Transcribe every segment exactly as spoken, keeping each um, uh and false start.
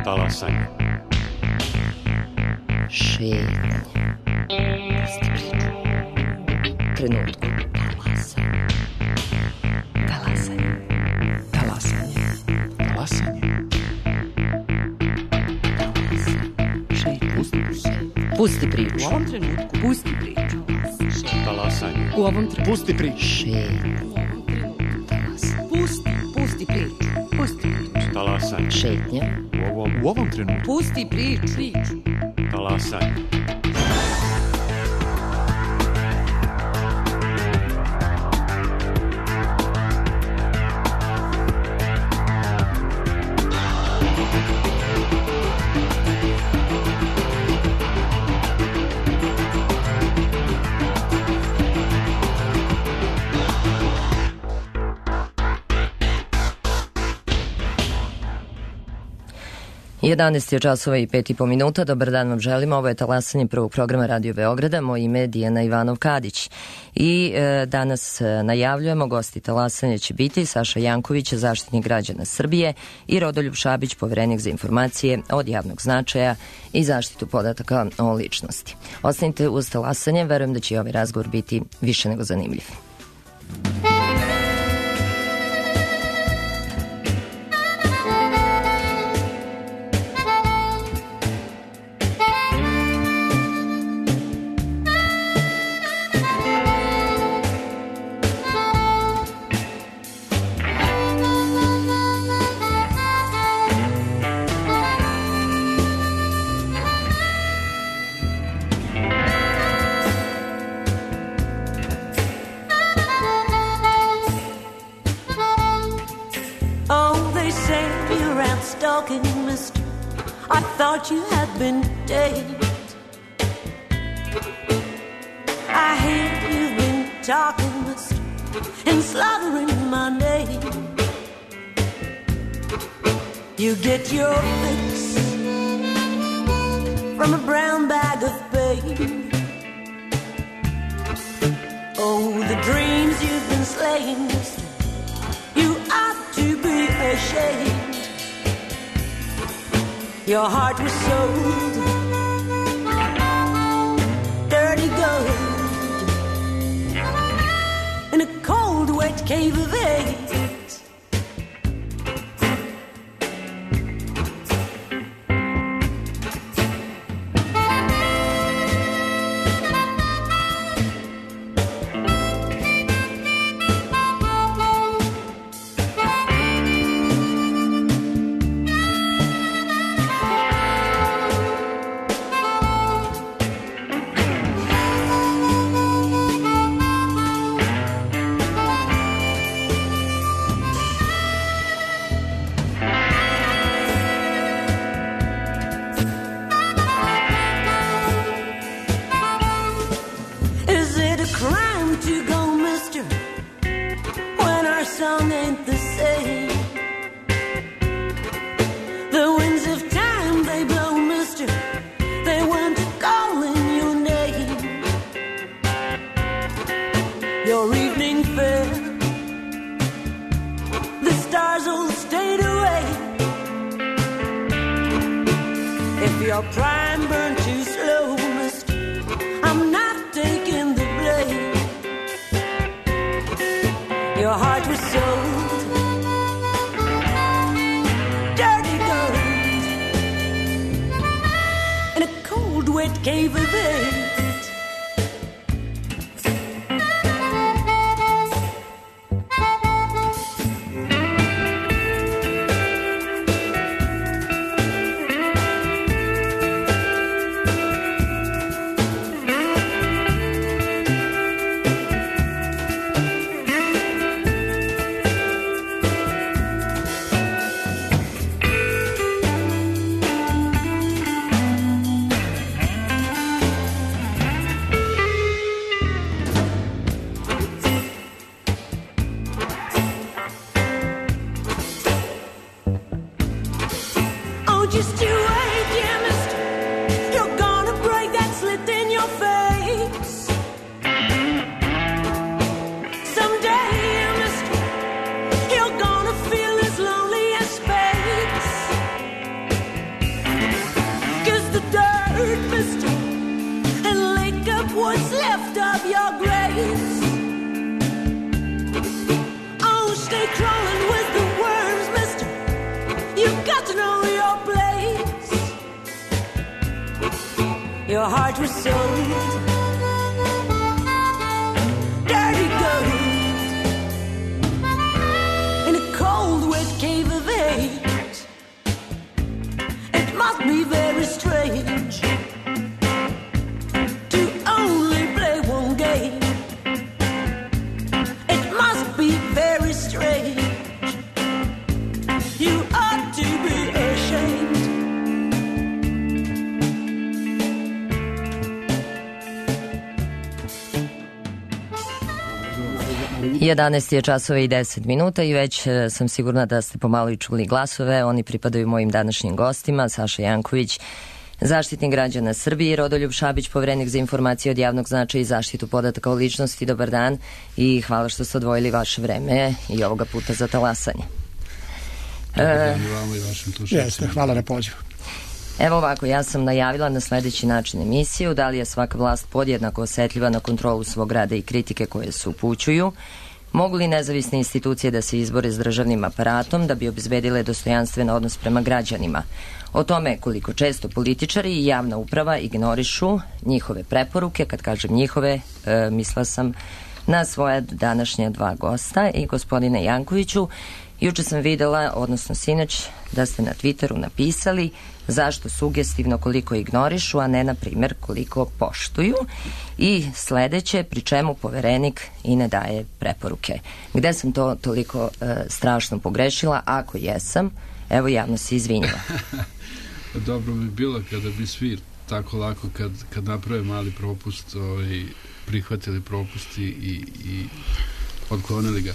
Talasanje. Šetnje. Pusti priču. Trenutku. Talasanje. Talasanje. Talasanje. Talasanje. Šetnje. Pusti priču. Pusti priču. U ovom trenutku. Pusti priču. Talasanje. U ovom trenutku. Pusti priču. Šetnje. Pusti, pusti priču. Pusti priču. Talasanje. Šetnje. U ovom, u ovom trenutku. Pusti priču. Priču. Talasanje. jedanaest je časova i pet i po minuta. Dobar dan vam želimo. Ovo je talasanje prvog programa Radio Beograda. Moje ime je Dijana Ivanov-Kadić. I e, danas e, najavljujemo, gosti talasanja će biti Saša Janković, zaštitnik građana Srbije, i Rodoljub Šabić, poverenik za informacije od javnog značaja i zaštitu podataka o ličnosti. Ostanite uz talasanje, verujem da će i ovaj razgovor biti više nego zanimljiv. I thought you had been dead. I hear you've been talking, mister, and slaughtering my name. You get your fix from a brown bag of pain. Oh, the dreams you've been slaying, mister, you ought to be ashamed. Your heart was sold, dirty gold, in a cold, wet cave of AIDS. your heart was sold. Dirty gold in a cold, wet cave of hate. It must be very strange to only play one game. It must be very strange. You ought to be ashamed. jedanaest je časova i deset minuta i već e, sam sigurna da ste pomalo i čuli glasove. Oni pripadaju mojim današnjim gostima, Saša Janković, Zaštitnik građana Srbije, Rodoljub Šabić, Poverenik za informacije od javnog značaja i zaštitu podataka o ličnosti. Dobar dan i hvala što ste odvojili vaše vreme i ovoga puta za talasanje. Dobar dan i vama i vašim slušalcima. Jeste, hvala na pozivu. Evo ovako, ja sam najavila na sledeći način emisiju, da li je svaka vlast podjednako osetljiva na kontrolu svog rada i kritike koje se upućuju, mogu li nezavisne institucije da se izbore s državnim aparatom da bi obezbedile dostojanstven odnos prema građanima. O tome koliko često političari i javna uprava ignorišu njihove preporuke, kad kažem njihove, e, mislila sam na svoja današnja dva gosta. I gospodine Jankoviću, juče sam videla, odnosno sinoć, da ste na Twitteru napisali zašto sugestivno koliko ignorišu, a ne, na primjer, koliko poštuju. I sledeće, pri čemu Poverenik i ne daje preporuke. Gde sam to toliko e, strašno pogrešila? Ako jesam, evo javno se izvinjava. Dobro bi bilo kada bi svi tako lako kad, kad naprave mali propust ovaj, prihvatili propust i, i, i odklonili ga.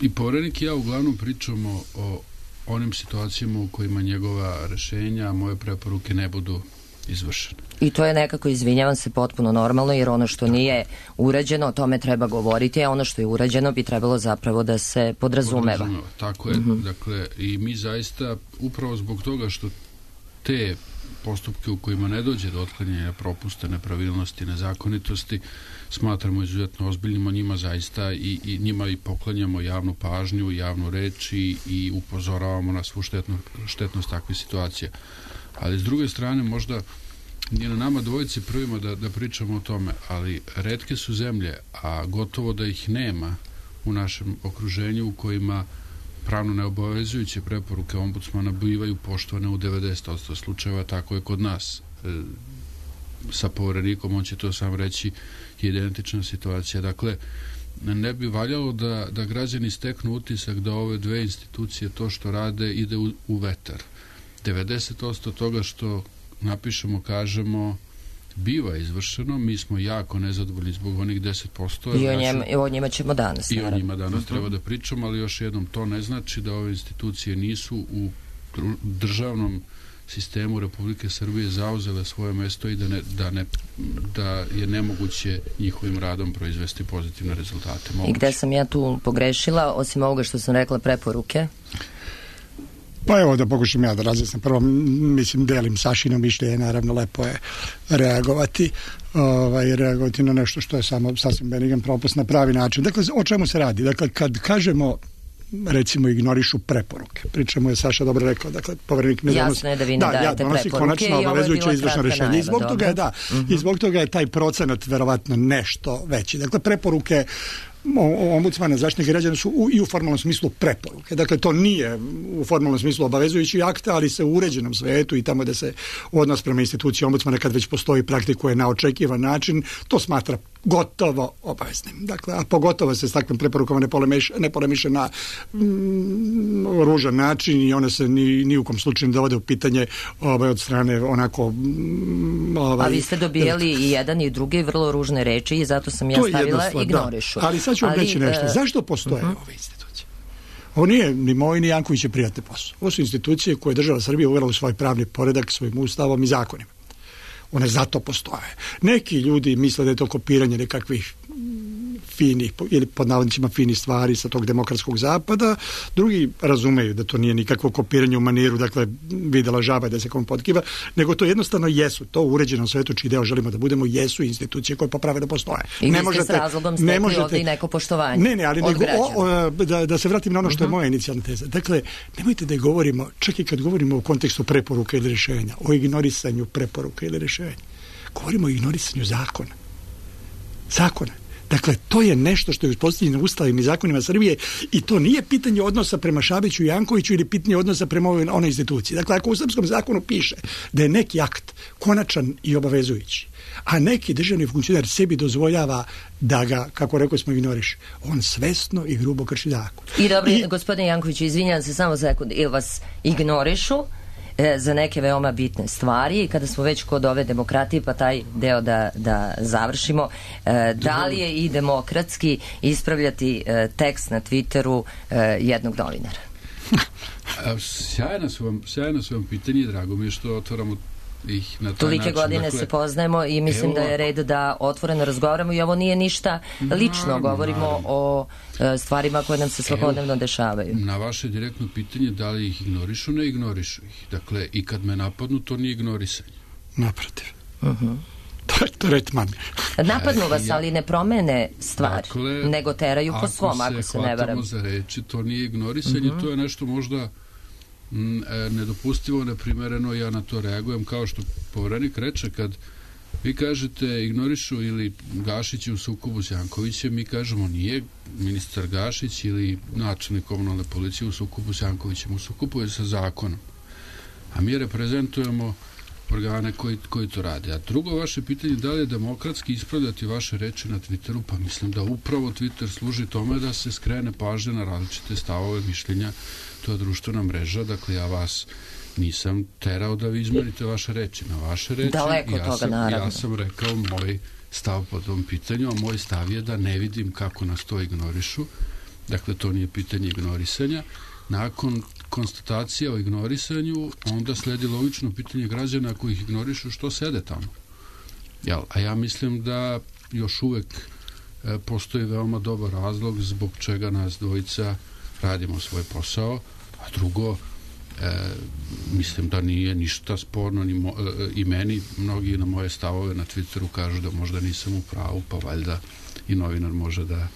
I Poverenik i ja uglavnom pričamo o onim situacijama u kojima njegova rešenja, moje preporuke ne budu izvršene. I to je nekako, izvinjavam se, potpuno normalno, jer ono što nije urađeno, o tome treba govoriti, a ono što je urađeno bi trebalo zapravo da se podrazumeva. podrazumeva tako je. Mm-hmm. Dakle, i mi zaista, upravo zbog toga što te postupke u kojima ne dođe do otklanjanja propusta, nepravilnosti, nezakonitosti, smatramo izuzetno ozbiljnim, o njima zaista i, i njima i poklanjamo javnu pažnju, javnu reč i, i upozoravamo na svu štetno, štetnost takvih situacija. Ali s druge strane, možda nije na nama dvojici prvima da, da pričamo o tome, ali retke su zemlje, a gotovo da ih nema u našem okruženju u kojima pravno neobavezujuće preporuke ombudsmana bivaju poštovane u devedeset posto slučajeva. Tako je kod nas. E, sa Poverenikom, on će to sam reći, je identična situacija. Dakle, ne bi valjalo da, da građani steknu utisak da ove dve institucije to što rade ide u, u vetar. devedeset posto toga što napišemo, kažemo, biva izvršeno, mi smo jako nezadovoljni zbog onih deset posto. I o, njem, i o njima ćemo danas. I o njima danas uh-huh. treba da pričamo, ali još jednom, to ne znači da ove institucije nisu u državnom sistemu Republike Srbije zauzele svoje mesto i da, ne, da, ne, da je nemoguće njihovim radom proizvesti pozitivne rezultate. Moguće. I gde sam ja tu pogrešila, osim ovoga što sam rekla, preporuke? Pa evo da pokušam ja da razjasnim. Prvo, mislim, delim Sašino mišljenje, naravno lepo je reagovati, ovaj, reagovati na nešto što je samo sasvim benigan propust na pravi način. Dakle, o čemu se radi? Dakle, kad kažemo, recimo, ignorišu preporuke. Pričamo je Saša dobro rekao, dakle, Poverenik ne donosi. Jasno je da vi ne da, dajete ja, preporuke konačno i ovo je bila izvršno rešenje. I zbog dobro. toga je, da, uh-huh. i zbog toga je taj procenat verovatno nešto veći. Dakle, preporuke ombudsmana, zaštitnika građana su u, i u formalnom smislu preporuke. Dakle, to nije u formalnom smislu obavezujući akt, ali se u uređenom svetu i tamo da se odnos prema instituciji ombudsmana, kad već postoji, praktikuje na očekivan način, to smatra gotovo obaveznim. Dakle, a pogotovo se s takvim preporukama ne polemiše, ne polemiše na mm, ružan način i one se ni, ni u kom slučaju ne dovode u pitanje ovaj, od strane onako... Mm, ovaj, a vi ste dobijali i jedan i drugi vrlo ružne reči i zato sam ja stavila ignorišu. Da. Ali sad ću vam reći nešto. Uh, Zašto postoje uh-huh. ove institucije? Ovo nije ni moj ni Janković prijatne posao. Ovo su institucije koje je država Srbije uvela u svoj pravni poredak, svojim ustavom i zakonima. One zato postoje. Neki ljudi misle da je to kopiranje nekakvih finih ili pod navodnicima finih stvari sa tog demokratskog zapada, drugi razumeju da to nije nikakvo kopiranje u maniru, dakle videla žaba da se kom potkiva, nego to jednostavno jesu, to u uređenom svetu čiji deo želimo da budemo, jesu institucije koje po pravilu postoje. I ne možete, s razlogom stekli možete, ovdje i neko poštovanje. Ne, ne, ali nego, o, o, da, da se vratim na ono što uh-huh. je moja inicijalna teza. Dakle, nemojte da govorimo, čak i kad govorimo u kontekstu preporuka ili rješenja, o ignorisanju preporuka ili rješenja. Govorimo o ignorisanju zakona. Zakona. Dakle, to je nešto što je uspostavljeno ustavima i zakonima Srbije i to nije pitanje odnosa prema Šabiću i Jankoviću ili pitanje odnosa prema ovoj onoj instituciji. Dakle, ako u srpskom zakonu piše da je neki akt konačan i obavezujući, a neki državni funkcionar sebi dozvoljava da ga, kako rekao smo, ignoriš, on svesno i grubo krši zakon. I dobro, I, gospodine Jankoviću, izvinjam se samo za sekund, ili vas ignorišu e, za neke veoma bitne stvari i kada smo već kod ove demokratije, pa taj deo da, da završimo, e, da li je i demokratski ispravljati e, tekst na Twitteru e, jednog novinara? Sjajno su vam, sjajno su vam pitanje i drago mi je što otvaramo ih na taj Tolike način. godine dakle, se poznajemo i mislim evo, da je red da otvoreno razgovaramo i ovo nije ništa lično, naravno, govorimo naravno. o e, stvarima koje nam se svakodnevno evo, dešavaju. Na vaše direktno pitanje da li ih ignorišu, ne ignorišu ih. Dakle, i kad me napadnu, to nije ignorisanje. Naprotiv. Uh-huh. To je tretman. Napadnu vas, ali ne promene stvari, dakle, nego teraju po svom, ako se ne varam. Ako se hvatamo za reči, to nije ignorisanje, uh-huh. to je nešto možda m, nedopustivo, neprimereno, ja na to reagujem kao što Poverenik reče, kad vi kažete ignorišu ili Gašić je u sukobu s Jankovićem, mi kažemo nije ministar Gašić ili načelnik komunalne policije u sukobu s Jankovićem, u sukobu je sa zakonom. A mi reprezentujemo organe koji, koji to rade. A drugo vaše pitanje, da li je demokratski ispravljati vaše reči na Twitteru? Pa mislim da upravo Twitter služi tome da se skrene pažnje na različite stavove, mišljenja. To je društvena mreža, dakle ja vas nisam terao da vi izmenite vaše reči na vaše reči. Daleko ja toga, sam, naravno. Ja sam rekao moj stav po tom pitanju, a moj stav je da ne vidim kako nas to ignorišu. Dakle, to nije pitanje ignorisanja. Nakon konstatacija o ignorisanju, onda sledi logično pitanje građana koji ih ignorišu, što sede tamo. Jel? A ja mislim da još uvek e, postoji veoma dobar razlog zbog čega nas dvojica radimo svoj posao, a drugo, e, mislim da nije ništa sporno ni mo, e, i meni, mnogi na moje stavove na Twitteru kažu da možda nisam u pravu, pa valjda i novinar može da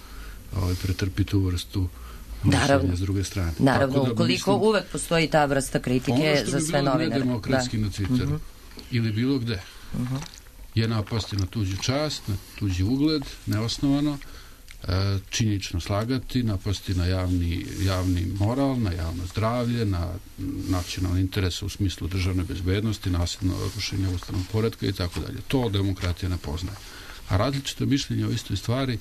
ovaj, pretrpi tu vrstu naravno, s druge strane. Naravno, da, ukoliko mislim, uvek postoji ta vrsta kritike za sve novinare. Ono što bi bilo nedemokratski da. na Twitteru uh-huh. ili bilo gde uh-huh. je napasti na tuđu čast, na tuđi ugled, neosnovano, e, činjenično slagati, napasti na javni, javni moral, na javno zdravlje, na nacionalni interes u smislu državne bezbednosti, nasilno rušenje ustavnog poretka i tako dalje. To demokratija ne poznaje. A različite mišljenja o istoj stvari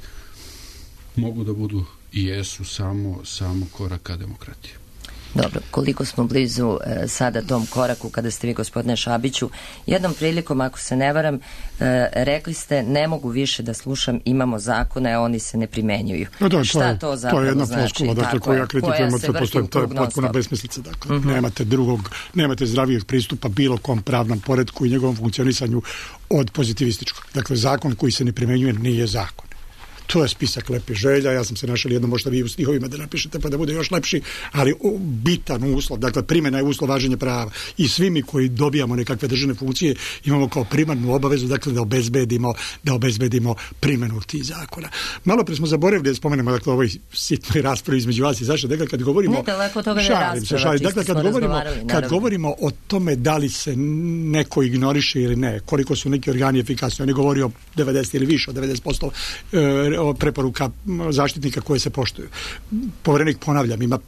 mogu da budu i jesu samo, samo koraka demokratije. Dobro, koliko smo blizu e, sada tom koraku kada ste vi, gospodine Šabiću, jednom prilikom, ako se ne varam, e, rekli ste ne mogu više da slušam, imamo zakone, a oni se ne primenjuju. No da, Šta to, je, to zapravo to je jedna znači? floskula, dakle, koju ja kritikujem od postojem, to je potpuna besmislica. Dakle, uh-huh. nemate drugog, nemate zdravijeg pristupa bilo kom pravnom poretku i njegovom funkcionisanju od pozitivističkog. Dakle, zakon koji se ne primenjuje nije zakon. To je spisak lepih želja, ja sam se našao jedno, možda vi u stihovima da napišete pa da bude još lepši, ali bitan uslov, dakle primjena je uslov važenja prava i svi mi koji dobijamo nekakve državne funkcije imamo kao primarnu obavezu, dakle da obezbedimo, da obezbedimo primjenu tih zakona. Malo pre smo zaboravili da spomenemo, dakle, ovoj sitnoj raspravi između vas i Saša, dakle kad govorimo ne, daleko toga šalim se, šalim, dakle kad govorimo, kad govorimo o tome da li se neko ignoriše ili ne, koliko su neki organi efikasni, on je govorio devedeset ili više od devedeset posto e, preporuka zaštitnika koje se poštuju. Poverenik, ponavljam, ima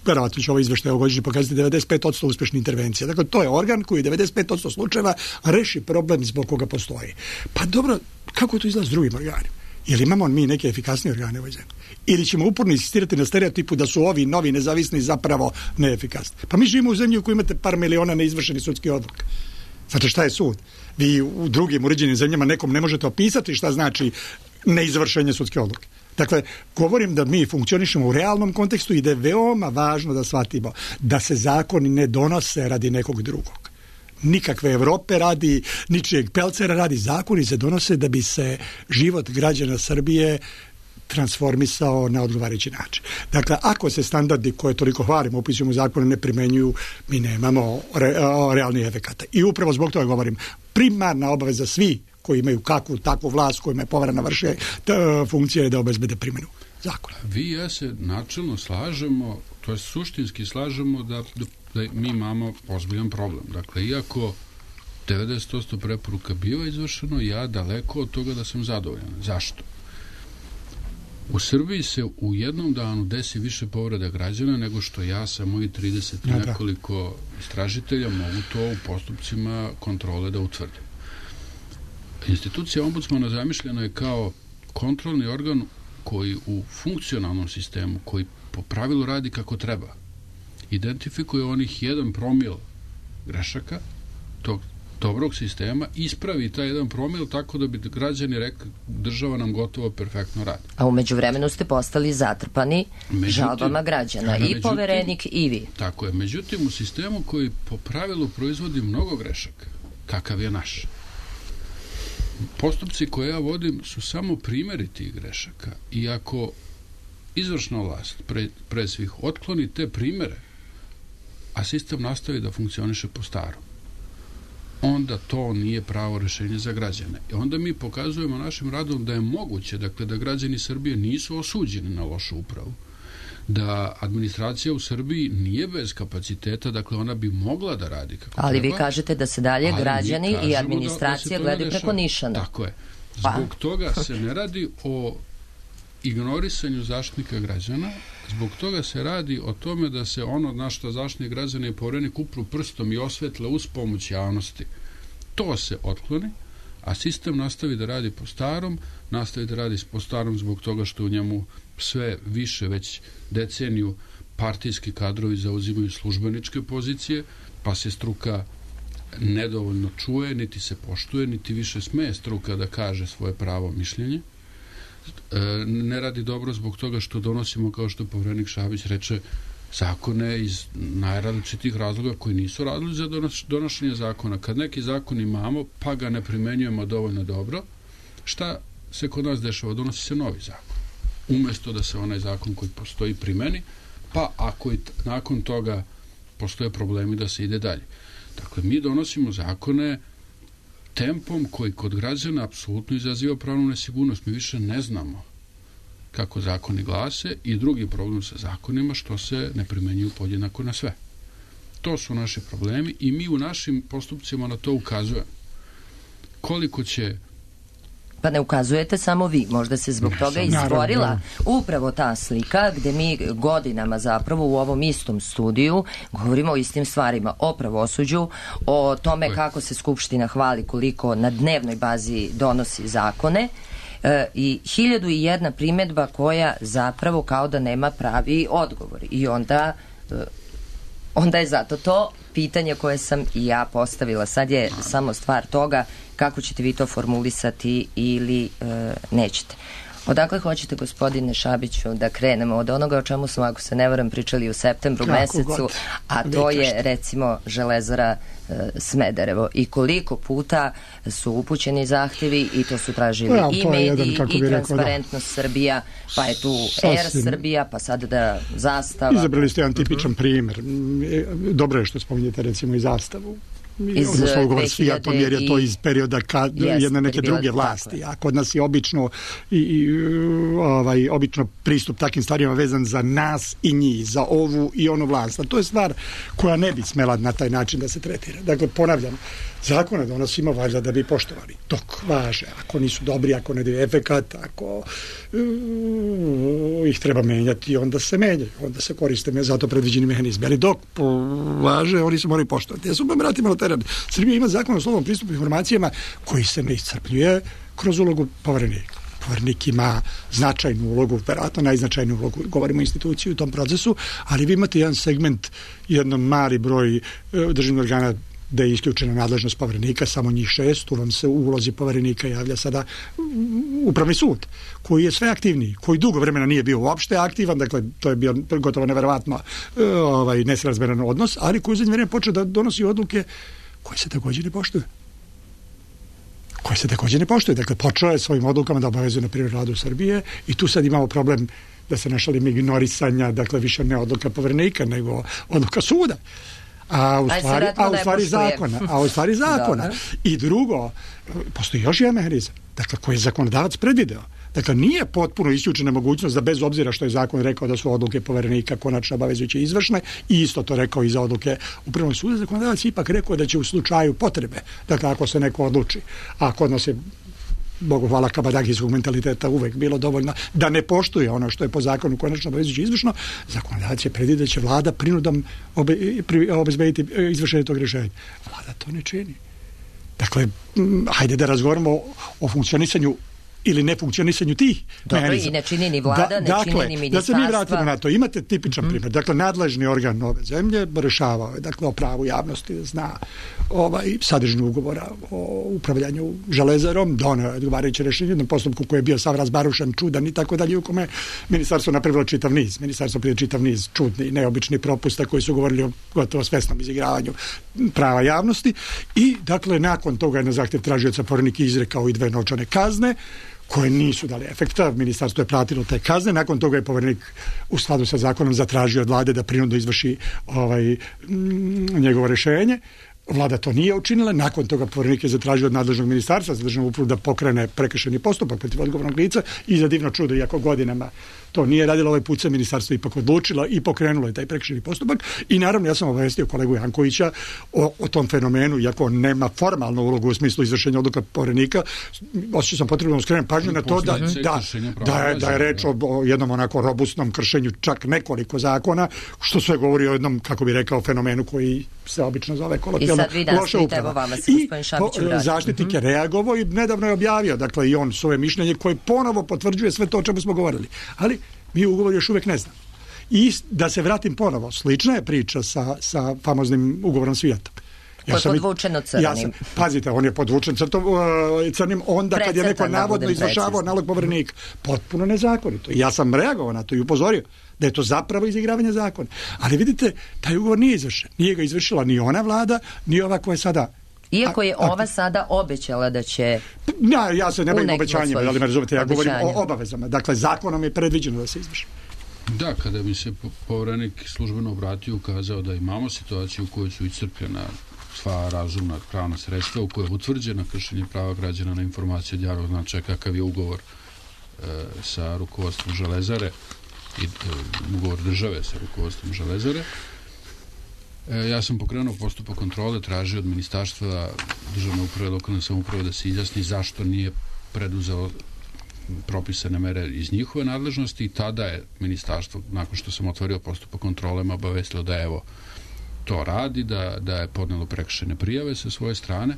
verovatno će ovo izveštaj ovogodišnje pokazati devedeset pet posto uspešnih intervencija. Dakle, to je organ koji devedeset pet posto slučajeva reši problem zbog koga postoji. Pa dobro, kako to izgleda s drugim organima? Ili imamo mi neke efikasnije organe u ovoj zemlji? Ili ćemo uporno insistirati na stereotipu da su ovi novi nezavisni zapravo neefikasni? Pa mi živimo u zemlji u kojoj imate par miliona neizvršenih sudskih odluka. Znate šta je sud? Vi u drugim uređenim zemljama nekom ne možete opisati šta znači neizvršenje sudske odluke. Dakle, govorim da mi funkcionišemo u realnom kontekstu i da je veoma važno da shvatimo da se zakoni ne donose radi nekog drugog. Nikakve Evrope radi, ničijeg pelcera radi, zakoni se donose da bi se život građana Srbije transformisao na odgovarajući način. Dakle, ako se standardi koje toliko hvalimo, upisujemo u zakonu, ne primenjuju, mi nemamo re, realnih efekata. I upravo zbog toga govorim, primarna obaveza svi koji imaju kakvu takvu vlast, kojima je poverena vrše funkcija je da obezbede primjenu zakona. Vi i ja se načelno slažemo, to je suštinski slažemo da, da mi imamo ozbiljan problem. Dakle, iako devedeset posto preporuka biva izvršeno, ja daleko od toga da sam zadovoljan. Zašto? U Srbiji se u jednom danu desi više povreda građana nego što ja sa mojih trideset i ja, nekoliko istražitelja mogu to u postupcima kontrole da utvrdim. Institucija ombudsmana zamišljena je kao kontrolni organ koji u funkcionalnom sistemu, koji po pravilu radi kako treba, identifikuje onih jedan promil grešaka tog dobrog sistema, ispravi taj jedan promil tako da bi građani rekli država nam gotovo perfektno radi. A umeđu vremenu ste postali zatrpani međutim, žalbama građana, i međutim, poverenik i vi. Tako je. Međutim, u sistemu koji po pravilu proizvodi mnogo grešaka, kakav je naš, postupci koje ja vodim su samo primjeri tih grešaka. I ako izvršna vlast pre, pre svih otkloni te primjere, a sistem nastavi da funkcioniše po starom, onda to nije pravo rešenje za građane. I onda mi pokazujemo našim radom da je moguće, dakle, da građani Srbije nisu osuđeni na lošu upravu, da administracija u Srbiji nije bez kapaciteta, dakle ona bi mogla da radi kako ali treba. Vi kažete da se dalje građani i administracija da, da gledaju preko nišana. Tako je. Zbog pa. toga se ne radi o ignorisanju zaštitnika građana, zbog toga se radi o tome da se ono na što zaštitnik građana i poverenik upru prstom i osvetle uz pomoć javnosti, to se otkloni, a sistem nastavi da radi po starom, nastavi da radi po starom zbog toga što u njemu sve više, već deceniju, partijski kadrovi zauzimaju službeničke pozicije, pa se struka nedovoljno čuje, niti se poštuje, niti više sme struka da kaže svoje pravo mišljenje. E, ne radi dobro zbog toga što donosimo, kao što poverenik Šabić reče, zakone iz najrazličitih razloga koji nisu radili za donošenje zakona. Kad neki zakon imamo, pa ga ne primenjujemo dovoljno dobro, šta se kod nas dešava? Donosi se novi zakon. Umesto da se onaj zakon koji postoji primeni, pa ako i nakon toga postoje problemi da se ide dalje. Dakle, mi donosimo zakone tempom koji kod građana apsolutno izaziva pravnu nesigurnost. Mi više ne znamo kako zakoni glase i drugi problem sa zakonima što se ne primenjuju podjednako na sve. To su naši problemi i mi u našim postupcima na to ukazujemo. Koliko će... Pa ne ukazujete samo vi, možda se zbog toga izborila upravo ta slika gde mi godinama zapravo u ovom istom studiju govorimo o istim stvarima, o pravosuđu, o tome kako se Skupština hvali koliko na dnevnoj bazi donosi zakone, e, i hiljadu i jedna primjedba koja zapravo kao da nema pravi odgovor. I onda, e, onda je zato to pitanje koje sam i ja postavila. Sad je samo stvar toga kako ćete vi to formulisati ili e, nećete. Odakle hoćete, gospodine Šabiću, da krenemo od onoga o čemu smo, ako se ne varam, pričali u septembru kako mesecu, god. A to je recimo Železara e, Smederevo. I koliko puta su upućeni zahtjevi i to su tražili ja, i mediji jedan, i Transparentnost da. Srbija, pa je tu Er Srbija, pa sad da Zastava. Izabrali ste jedan tipičan primjer. Dobro je što spominjete recimo i Zastavu. Iz ugovor s Fiatom, jer je to iz perioda kad jest, jedne neke druge vlasti, a kod nas je obično i, i ovaj obično pristup takvim stvarima vezan za nas i njih, za ovu i onu vlast. A to je stvar koja ne bi smela na taj način da se tretira. Dakle, ponavljam, zakone donosimo valjda da bi poštovali. Dok važe, ako nisu dobri, ako ne daju efekat, ako uh, ih treba menjati, onda se menjaju, onda se koriste me za to predviđeni mehanizmi. Ali dok važe, oni se moraju poštovati. Ja sam vam vratimo na teren. Srbija ima zakon o slobodnom pristupu informacijama koji se ne iscrpljuje kroz ulogu poverenika. Poverenik ima značajnu ulogu, verovatno najznačajniju ulogu, govorimo o instituciji u tom procesu, ali vi imate jedan segment, jedan mali broj državnih organa da je isključena nadležnost poverenika, samo njih šest, tu vam se u ulozi poverenika javlja sada upravni sud, koji je sve aktivniji, koji dugo vremena nije bio uopšte aktivan, dakle to je bio gotovo neverovatno ovaj, nesrazmeran odnos, ali koji u zadnje vreme počeo da donosi odluke koje se također ne poštuju. koje se također ne poštuje. Dakle, počeo je svojim odlukama da obavezuje na primjer Vladu Srbije i tu sad imamo problem, da se ne šalim, ignorisanja, dakle više ne odluka Poverenika nego odluka suda. A u stvari, a u stvari zakona. A u stvari zakona. I drugo, postoji još jedan mehanizam, dakle, koji je zakonodavac predvideo. Dakle, nije potpuno isključena mogućnost da bez obzira što je zakon rekao da su odluke Poverenika konačno obavezujuće i izvršne, i isto to rekao i za odluke Upravnog suda, zakonodavac ipak rekao da će u slučaju potrebe, dakle, ako se neko odluči, a kod nas je, Bogu hvala, kabadagijskog mentaliteta uvek bilo dovoljno da ne poštuje ono što je po zakonu konačno obavezujuće izvršno, zakonodavac je predvidio da će vlada prinudom obe, pri, obezbediti izvršenje tog rješenja. Vlada to ne čini. Dakle, hajde da razgovaramo o, o funkcionisanju ili nefunkcionisanju tih Dobro, mehanizama. i ne čini ni vlada, da, ne dakle, čini ni ministarstva. Da se mi vratimo na to. Imate tipičan mm-hmm. primjer. Dakle, nadležni organ ove zemlje rešavao je, dakle, o pravu javnosti da zna ovaj, sadržinu ugovora o upravljanju železarom, doneo je odgovarajuće rešenje u jednom postupku koji je bio sav razbarušan, čudan i tako dalje, u kome ministarstvo napravilo čitav niz. Ministarstvo prije čitav niz čudni, neobični propusta koji su govorili o gotovo svesnom izigravanju prava javnosti i, dakle, nakon toga je na zahtjev tražioca Poverenik izrekao i dve novčane kazne koje nisu dali efekta. Ministarstvo je platilo te kazne. Nakon toga je Poverenik u skladu sa zakonom zatražio od vlade da prinudno izvrši ovaj, m, njegovo rješenje. Vlada to nije učinila. Nakon toga Poverenik je zatražio od nadležnog ministarstva za državnu upravu da pokrene prekršajni postupak protiv odgovornog lica i za divno čudo, iako godinama to nije radilo, ovaj put se ministarstvo ipak odlučilo i pokrenulo je taj prekršajni postupak. I naravno ja sam obavestio kolegu Jankovića o, o tom fenomenu, iako on nema formalnu ulogu u smislu izvršenja odluka Poverenika, osjećao sam potrebno da skrenem pažnju na to da, da, da, je, da je reč o, o jednom onako robustnom kršenju čak nekoliko zakona, što sve govori o jednom, kako bi rekao, fenomenu koji se obično zove kolokvijalno loša uprava. I zaštitnik je reagovao i nedavno je objavio, dakle, i on svoje mišljenje koje ponovo potvrđuje sve to o čemu smo govorili. Ali mi ugovor još uvijek ne znamo. I da se vratim ponovo, slična je priča sa, sa famoznim ugovorom s Fiatom. Ja koji je podvučeno crnim. Ja sam, pazite, on je podvučen crtom, uh, crnim onda Precrtan, kad je neko navodno izvršavao nalog Poverenika. Potpuno nezakonito. Ja sam reagovao na to i upozorio da je to zapravo izigravanje zakona. Ali vidite, taj ugovor nije izvršen. Nije ga izvršila ni ona vlada, ni ova koja je sada... Iako je ova sada obećala da će... Ja, ja se ne bavim obećanjima, ali me razumete, ja govorim o obavezama. Dakle, zakonom je predviđeno da se izvrši. Da, kada bi se Poverenik službeno obratio, ukazao da imamo situaciju u kojoj su iscrpljena sva razumna pravna sredstva, u kojoj je utvrđena kršenje prava građana na informacije od javnog značaja, kakav je ugovor e, sa rukovodstvom Železare i e, ugovor države sa rukovodstvom Železare. E, ja sam pokrenuo postupak kontrole, tražio od ministarstva državne uprave, lokalne samouprave da se izjasni zašto nije preduzelo propisane mere iz njihove nadležnosti i tada je ministarstvo, nakon što sam otvorio postupak kontrole, me obavestilo da evo to radi, da, da je podnelo prekršajne prijave sa svoje strane,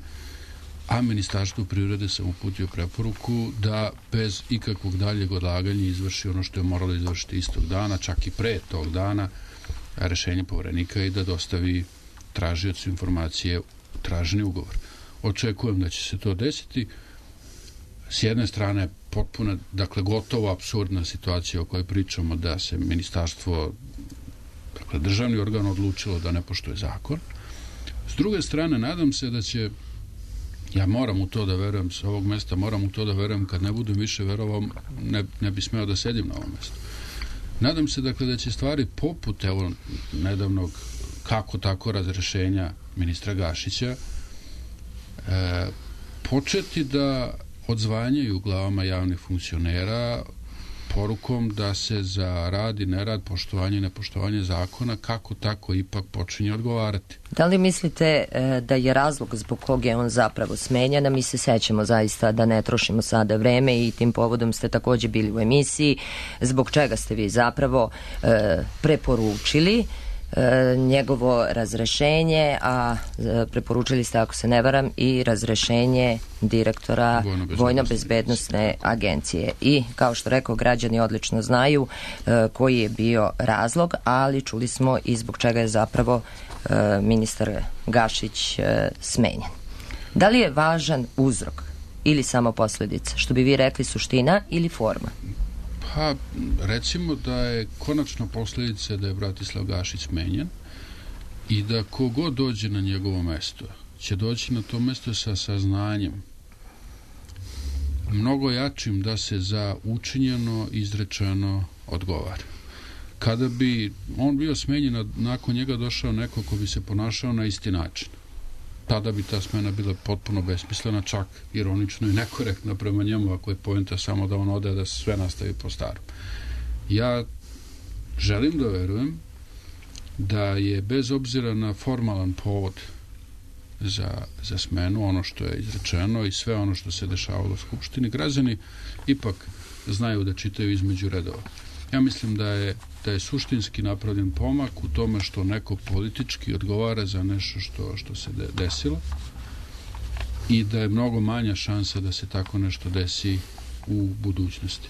a Ministarstvo privrede sam uputio preporuku da bez ikakvog daljeg odlaganja izvrši ono što je moralo izvršiti istog dana, čak i pre tog dana, rešenje Poverenika i da dostavi tražiocu informacije traženi ugovor. Očekujem da će se to desiti. S jedne strane potpuno, dakle, gotovo apsurdna situacija o kojoj pričamo da se ministarstvo, dakle, državni organ odlučilo da ne poštuje zakon. S druge strane, nadam se da će, ja moram u to da verujem, s ovog mesta moram u to da verujem, kad ne budem više verovao, ne, ne bi smeo da sedim na ovom mestu. Nadam se, dakle, da će stvari poput, evo, nedavnog kako tako razrešenja ministra Gašića e, početi da odzvanjaju glavama javnih funkcionera porukom da se za rad i nerad, poštovanje i nepoštovanje zakona kako tako ipak počinje odgovarati. Da li mislite e, da je razlog zbog kog je on zapravo smenjen, a mi se sećamo zaista da ne trošimo sada vreme i tim povodom ste također bili u emisiji, zbog čega ste vi zapravo e, preporučili E, njegovo razrešenje, a e, preporučili ste, ako se ne varam, i razrešenje direktora Vojno-bezbednosne agencije. I, kao što rekao, građani odlično znaju e, koji je bio razlog, ali čuli smo i zbog čega je zapravo e, ministar Gašić e, smenjen. Da li je važan uzrok ili samo posljedica? Što bi vi rekli, suština ili forma? Pa, recimo da je konačna posljedica da je Bratislav Gašić smenjen i da kogod dođe na njegovo mesto će doći na to mesto sa saznanjem mnogo jačim da se za učinjeno izrečeno odgovara. Kada bi on bio smenjen, a nakon njega došao neko ko bi se ponašao na isti način, tada bi ta smena bila potpuno besmislena, čak ironično i nekorektna prema njemu, ako je poenta samo da on ode, da se sve nastavi po starom. Ja želim da verujem da je bez obzira na formalan povod za, za smenu, ono što je izrečeno i sve ono što se dešavalo u Skupštini, građani ipak znaju da čitaju između redova. Ja mislim da je, da je suštinski napravljen pomak u tome što neko politički odgovara za nešto što, što se de, desilo i da je mnogo manja šansa da se tako nešto desi u budućnosti.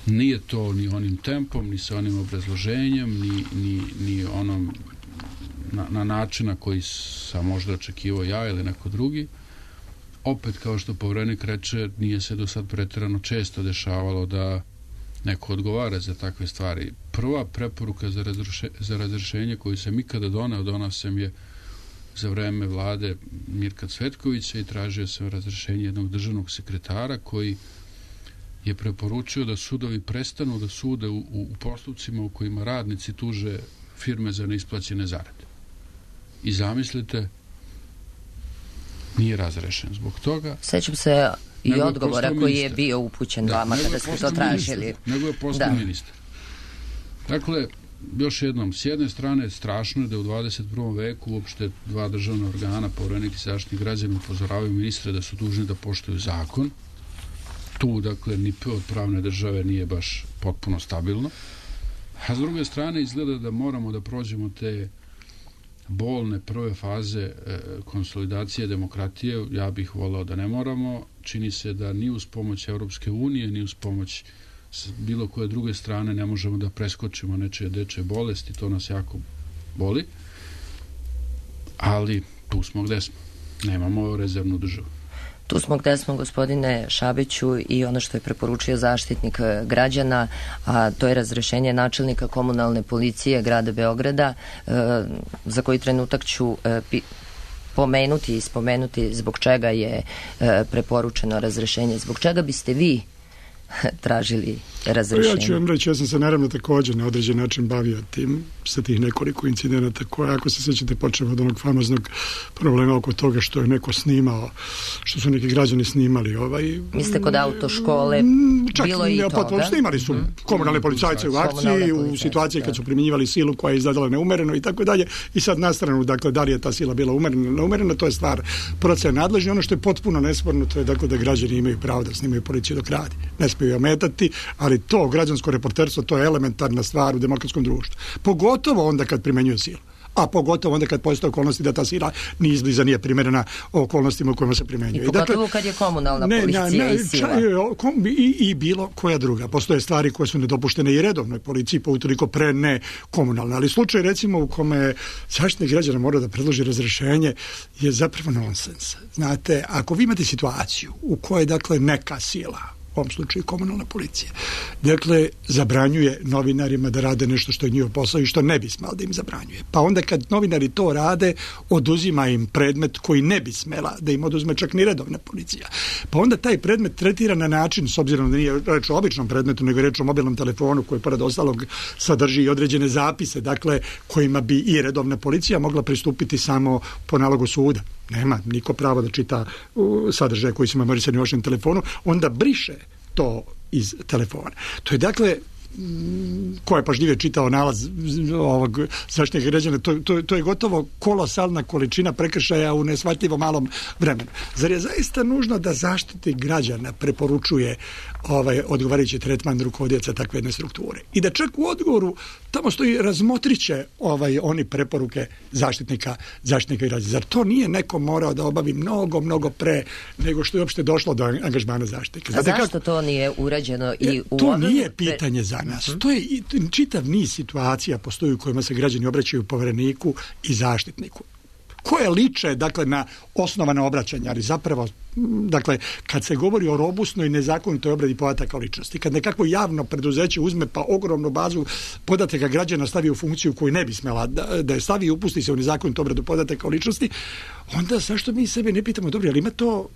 Nije to ni onim tempom, ni sa onim obrazloženjem, ni, ni, ni onom na, na način na koji sam možda očekivao ja ili neko drugi. Opet, kao što Poverenik reče, nije se do sad preterano često dešavalo da neko odgovara za takve stvari. Prva preporuka za, razruše, za razrešenje koju sam ikada doneo, donao sam je za vreme vlade Mirka Cvetkovića i tražio sam razrešenje jednog državnog sekretara koji je preporučio da sudovi prestanu da sude u, u postupcima u kojima radnici tuže firme za neisplaćene zarade. I zamislite, nije razrešen zbog toga. Sećam se i odgovora koji je bio upućen da, vama kada ste to tražili. Ministar, nego je postao ministar. Dakle, još jednom, s jedne strane strašno je da u dvadeset prvom veku uopšte dva državna organa, Poverenik i Zaštitnik građana, upozoravaju ministre da su dužni da poštuju zakon. Tu, dakle, ni p od pravne države nije baš potpuno stabilno. A s druge strane, izgleda da moramo da prođemo te bolne prve faze e, konsolidacije demokratije. Ja bih volao da ne moramo. Čini se da ni uz pomoć Europske unije, ni uz pomoć bilo koje druge strane ne možemo da preskočimo nečije dečje bolesti. To nas jako boli. Ali tu smo gde smo. Nemamo rezervnu državu. Tu smo gde smo, gospodine Šabiću, i ono što je preporučio Zaštitnik građana, a to je razrešenje načelnika komunalne policije grada Beograda, e, za koji trenutak ću e, pi, pomenuti i spomenuti zbog čega je e, preporučeno razrešenje. Zbog čega biste vi tražili razrešenje? Ja ću vam reći, ja sam se naravno također na određen način bavio tim, sa tih nekoliko incidenata koje, ako se sjećate, počeo od onog famoznog problema oko toga što je neko snimao, što su neki građani snimali. Ovaj, Mislite kod autoškole, čak bilo i toga? Potpuno, snimali su mm. komunalne policajce u akciji, u situaciji kad su primjenjivali silu koja je izgledala neumereno i tako dalje. I sad na stranu, dakle, da li je ta sila bila umerena, neumerena, to je stvar procena nadležni. Ono što je potpuno nesporno, to je, dakle, da građani imaju pravo da snimaju policiju dok radi. Ne smiju ometati, ali to građansko reporterstvo, to je elementarna stvar u demokratskom društvu. Pogotovo onda kad primenjuje silu. A pogotovo onda kad postoje okolnosti da ta sila ni izbliza nije primjerena okolnostima u kojima se primjenjuje. I pogotovo dakle, kad je komunalna ne, policija ne, i sila. I, I bilo koja druga. Postoje stvari koje su nedopuštene i redovnoj policiji, pa utoliko pre ne komunalne. Ali slučaj, recimo, u kome Zaštitnik građana mora da predloži razrešenje je zapravo nonsens. Znate, ako vi imate situaciju u kojoj, dakle, neka sila, u ovom slučaju komunalna policija, dakle, zabranjuje novinarima da rade nešto što je njihov posao i što ne bi smelo da im zabranjuje. Pa onda kad novinari to rade, oduzima im predmet koji ne bi smela da im oduzme čak ni redovna policija. Pa onda taj predmet tretira na način, s obzirom da nije reč o običnom predmetu, nego reč o mobilnom telefonu koji pored ostalog sadrži i određene zapise, dakle, kojima bi i redovna policija mogla pristupiti samo po nalogu suda. Nema niko pravo da čita sadržaje koji su memorisani u vašem telefonu, onda briše to iz telefona. To je, dakle, ko je pažljivije čitao nalaz ovog Zaštitnika građana, to, to, to je gotovo kolosalna količina prekršaja u nesvatljivo malom vremenu. Zar je zaista nužno da Zaštitnik građana preporučuje ovaj odgovarajući tretman rukovodioca takve jedne strukture? I da čak u odgovoru tamo stoji razmotriće ovaj, oni preporuke zaštitnika, zaštitnika građana. Zar to nije neko morao da obavi mnogo, mnogo pre nego što je uopšte došlo do angažmana zaštitnika? A zašto kako? To nije urađeno i u to nije pitanje za nas. To je čitav niz situacija postoji u kojima se građani obraćaju Povereniku i Zaštitniku, koje liče, dakle, na osnovana obraćanja, ali zapravo, dakle, kad se govori o robustnoj i nezakonitoj obradi podataka o ličnosti, kad nekako javno preduzeće uzme pa ogromnu bazu podataka građana stavi u funkciju koju ne bi smela da, da je stavi i upusti se u nezakonitu obradu podataka o ličnosti, onda zašto mi sebe ne pitamo, dobro, ali ima to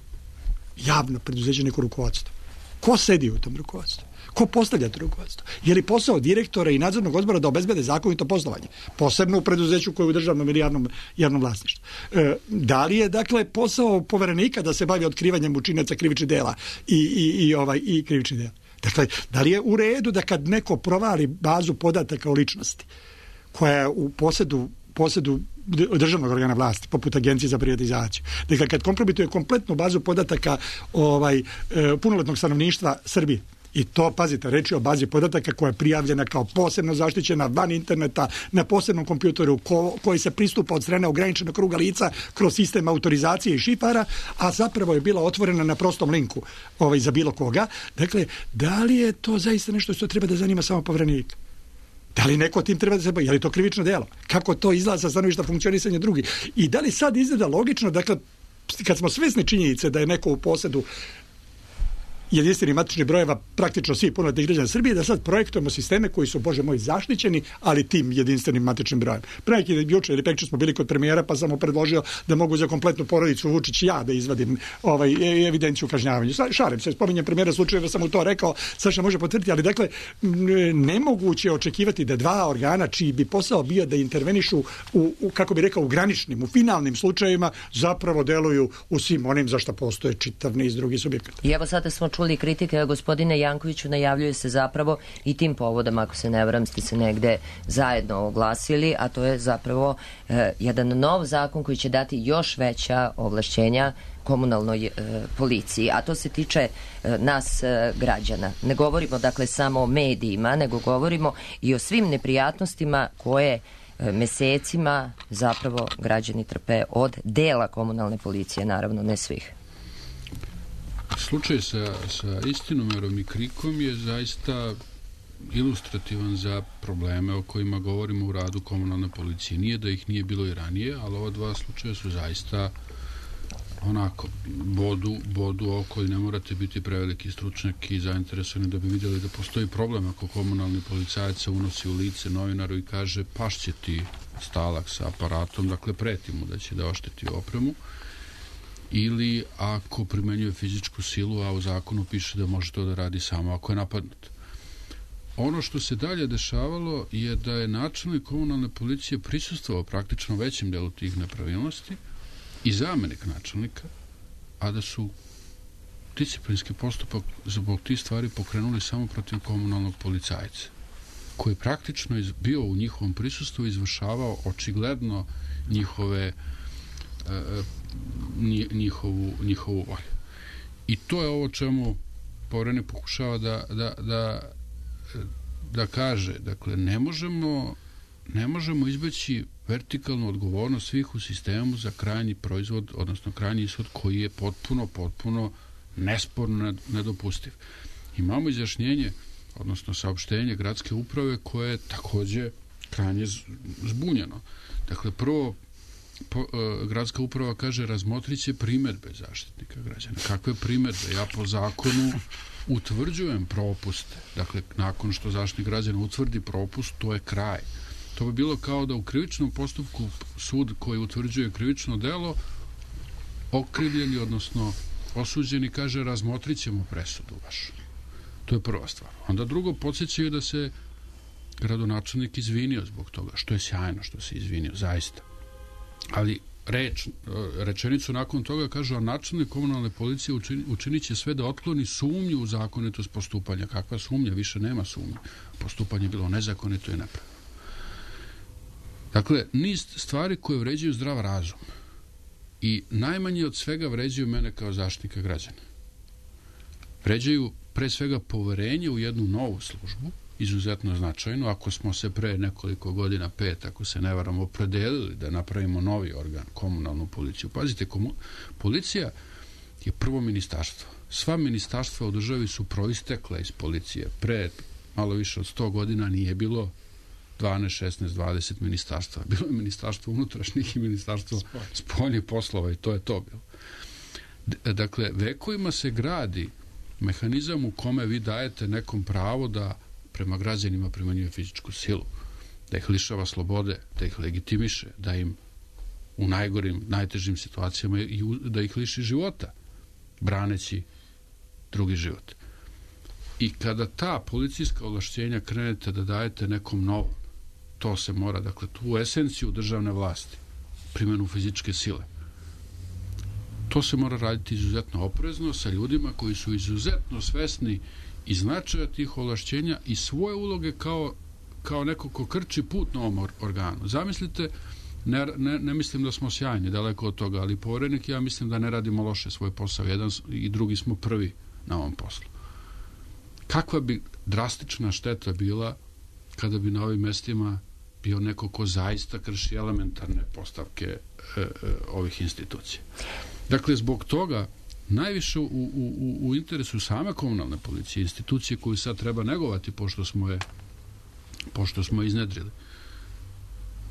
javno preduzeće neko rukovodstvo? Ko sedi u tom rukovodstvu? Ko postavlja to rukovodstvo? Je li posao direktora i nadzornog odbora da obezbede zakonito poslovanje? Posebno u preduzeću koje je u državnom ili javnom, javnom vlasništvu. E, da li je, dakle, posao poverenika da se bavi otkrivanjem učinaca krivičnih dela i, i, i, ovaj, i krivičnih dela? Dakle, da li je u redu da kad neko provali bazu podataka o ličnosti koja je u posjedu, posjedu državnog organa vlasti, poput Agencije za privatizaciju, dakle, kad kompromituje kompletnu bazu podataka ovaj, e, punoletnog stanovništva Srbije, i to, pazite, reč je o bazi podataka koja je prijavljena kao posebno zaštićena van interneta na posebnom kompjuteru ko, koji se pristupa od strane ograničenog kruga lica kroz sistem autorizacije i šifara, a zapravo je bila otvorena na prostom linku ovaj, za bilo koga. Dakle, da li je to zaista nešto što treba da zanima samo Poverenika? Da li neko tim treba da se bavi? Je li to krivično delo? Kako to izgleda sa stanovišta funkcionisanja drugih? I da li sad izgleda logično, dakle, kad smo svesni činjenice da je neko u posjedu jedinstvenih matičnih brojeva praktično svi punoletnih građana Srbije, da sad projektujemo sisteme koji su, Bože moj, zaštićeni, ali tim jedinstvenim matičnim brojem. Pre neki juče ili prekjuče smo bili kod premijera, pa sam mu predložio da mogu za kompletnu porodicu Vučić ja da izvadim ovaj, evidenciju kažnjavanja. Šalim se, spominjem premijera slučajeva, sam mu to rekao, Saša može potvrditi, ali dakle, nemoguće je očekivati da dva organa čiji bi posao bio da intervenišu u, u kako bi rekao, u graničnim, u finalnim slučajevima, zapravo deluju u svim onim za što postoje čitav niz drugih subjekata. I evo sada smo čuli kritike, gospodine Jankoviću, najavljuje se zapravo i tim povodom, ako se ne varam, ste se negde zajedno oglasili, a to je zapravo e, jedan nov zakon koji će dati još veća ovlašćenja komunalnoj e, policiji, a to se tiče e, nas e, građana. Ne govorimo dakle samo o medijima, nego govorimo i o svim neprijatnostima koje e, mesecima zapravo građani trpe od dela komunalne policije, naravno ne svih. Slučaj sa, sa Istinomerom i Krikom je zaista ilustrativan za probleme o kojima govorimo u radu komunalne policije. Nije da ih nije bilo i ranije, ali ova dva slučaja su zaista onako bodu, bodu oko i ne morate biti preveliki stručnjak i zainteresovani da bi vidjeli da postoji problem ako komunalni policajac se unosi u lice novinaru i kaže pašće ti stalak sa aparatom, dakle preti mu da će da ošteti opremu, ili ako primenjuje fizičku silu, a u zakonu piše da može to da radi samo ako je napadnut. Ono što se dalje dešavalo je da je načelnik komunalne policije prisustvovao praktično većem delu tih nepravilnosti i zamenik načelnika, a da su disciplinski postupak zbog tih stvari pokrenuli samo protiv komunalnog policajca, koji praktično bio u njihovom prisustvu i izvršavao očigledno njihove njihovu, njihovu volju. I to je ovo čemu Poverenik pokušava da, da, da, da kaže. Dakle, ne možemo, ne možemo izbeći vertikalnu odgovornost svih u sistemu za krajnji proizvod, odnosno krajnji ishod koji je potpuno, potpuno nesporno nedopustiv. Imamo izjašnjenje, odnosno saopštenje gradske uprave koje je takođe krajnje zbunjeno. Dakle, prvo Po, uh, gradska uprava kaže razmotrit će primedbe Zaštitnika građana. Kakve primedbe? Ja po zakonu utvrđujem propuste. Dakle, nakon što Zaštitnik građana utvrdi propust, to je kraj. To bi bilo kao da u krivičnom postupku sud koji utvrđuje krivično delo okrivljeni, odnosno osuđeni, kaže razmotrit ćemo presudu vašu. To je prva stvar. Onda drugo, podsjećaju da se gradonačelnik izvinio zbog toga, što je sjajno što se izvinio, zaista. Ali reč, rečenicu nakon toga kaže, a načelnik komunalne policije učini, učinit će sve da otkloni sumnju u zakonitost postupanja. Kakva sumnja? Više nema sumnje. Postupanje je bilo nezakonito i nepravilno. Dakle, niz stvari koje vređaju zdrav razum i najmanje od svega vređaju mene kao zaštitnika građana. Vređaju pre svega poverenje u jednu novu službu, izuzetno značajno. Ako smo se pre nekoliko godina, pet, ako se ne varam, opredelili da napravimo novi organ, komunalnu policiju. Pazite, komu... policija je prvo ministarstvo. Sva ministarstva u državi su proistekla iz policije. Pre malo više od sto godina nije bilo dvanaest, šesnaest, dvadeset ministarstva. Bilo je ministarstvo unutrašnjih i ministarstvo spoljnih poslova i to je to bilo. D- dakle, vekovima se gradi mehanizam u kome vi dajete nekom pravo da prema građanima primenjuje fizičku silu, da ih lišava slobode, da ih legitimiše, da im u najgorim, najtežim situacijama i da ih liši života. braneći drugi život. I kada ta policijska ovlašćenja krenete da dajete nekom novom, to se mora, dakle, tu esenciju državne vlasti, primjenu fizičke sile, to se mora raditi izuzetno oprezno sa ljudima koji su izuzetno svesni i značaja tih ovlašćenja i svoje uloge kao, kao neko ko krči put na ovom organu. Zamislite, ne, ne, ne mislim da smo sjajni, daleko od toga, ali poverenik, ja mislim da ne radimo loše svoj posao. Jedan i drugi smo prvi na ovom poslu. Kakva bi drastična šteta bila kada bi na ovim mestima bio neko ko zaista krši elementarne postavke e, e, ovih institucija. Dakle, zbog toga najviše u, u, u interesu same komunalne policije, institucije koju sad treba negovati pošto smo je pošto smo je iznedrili,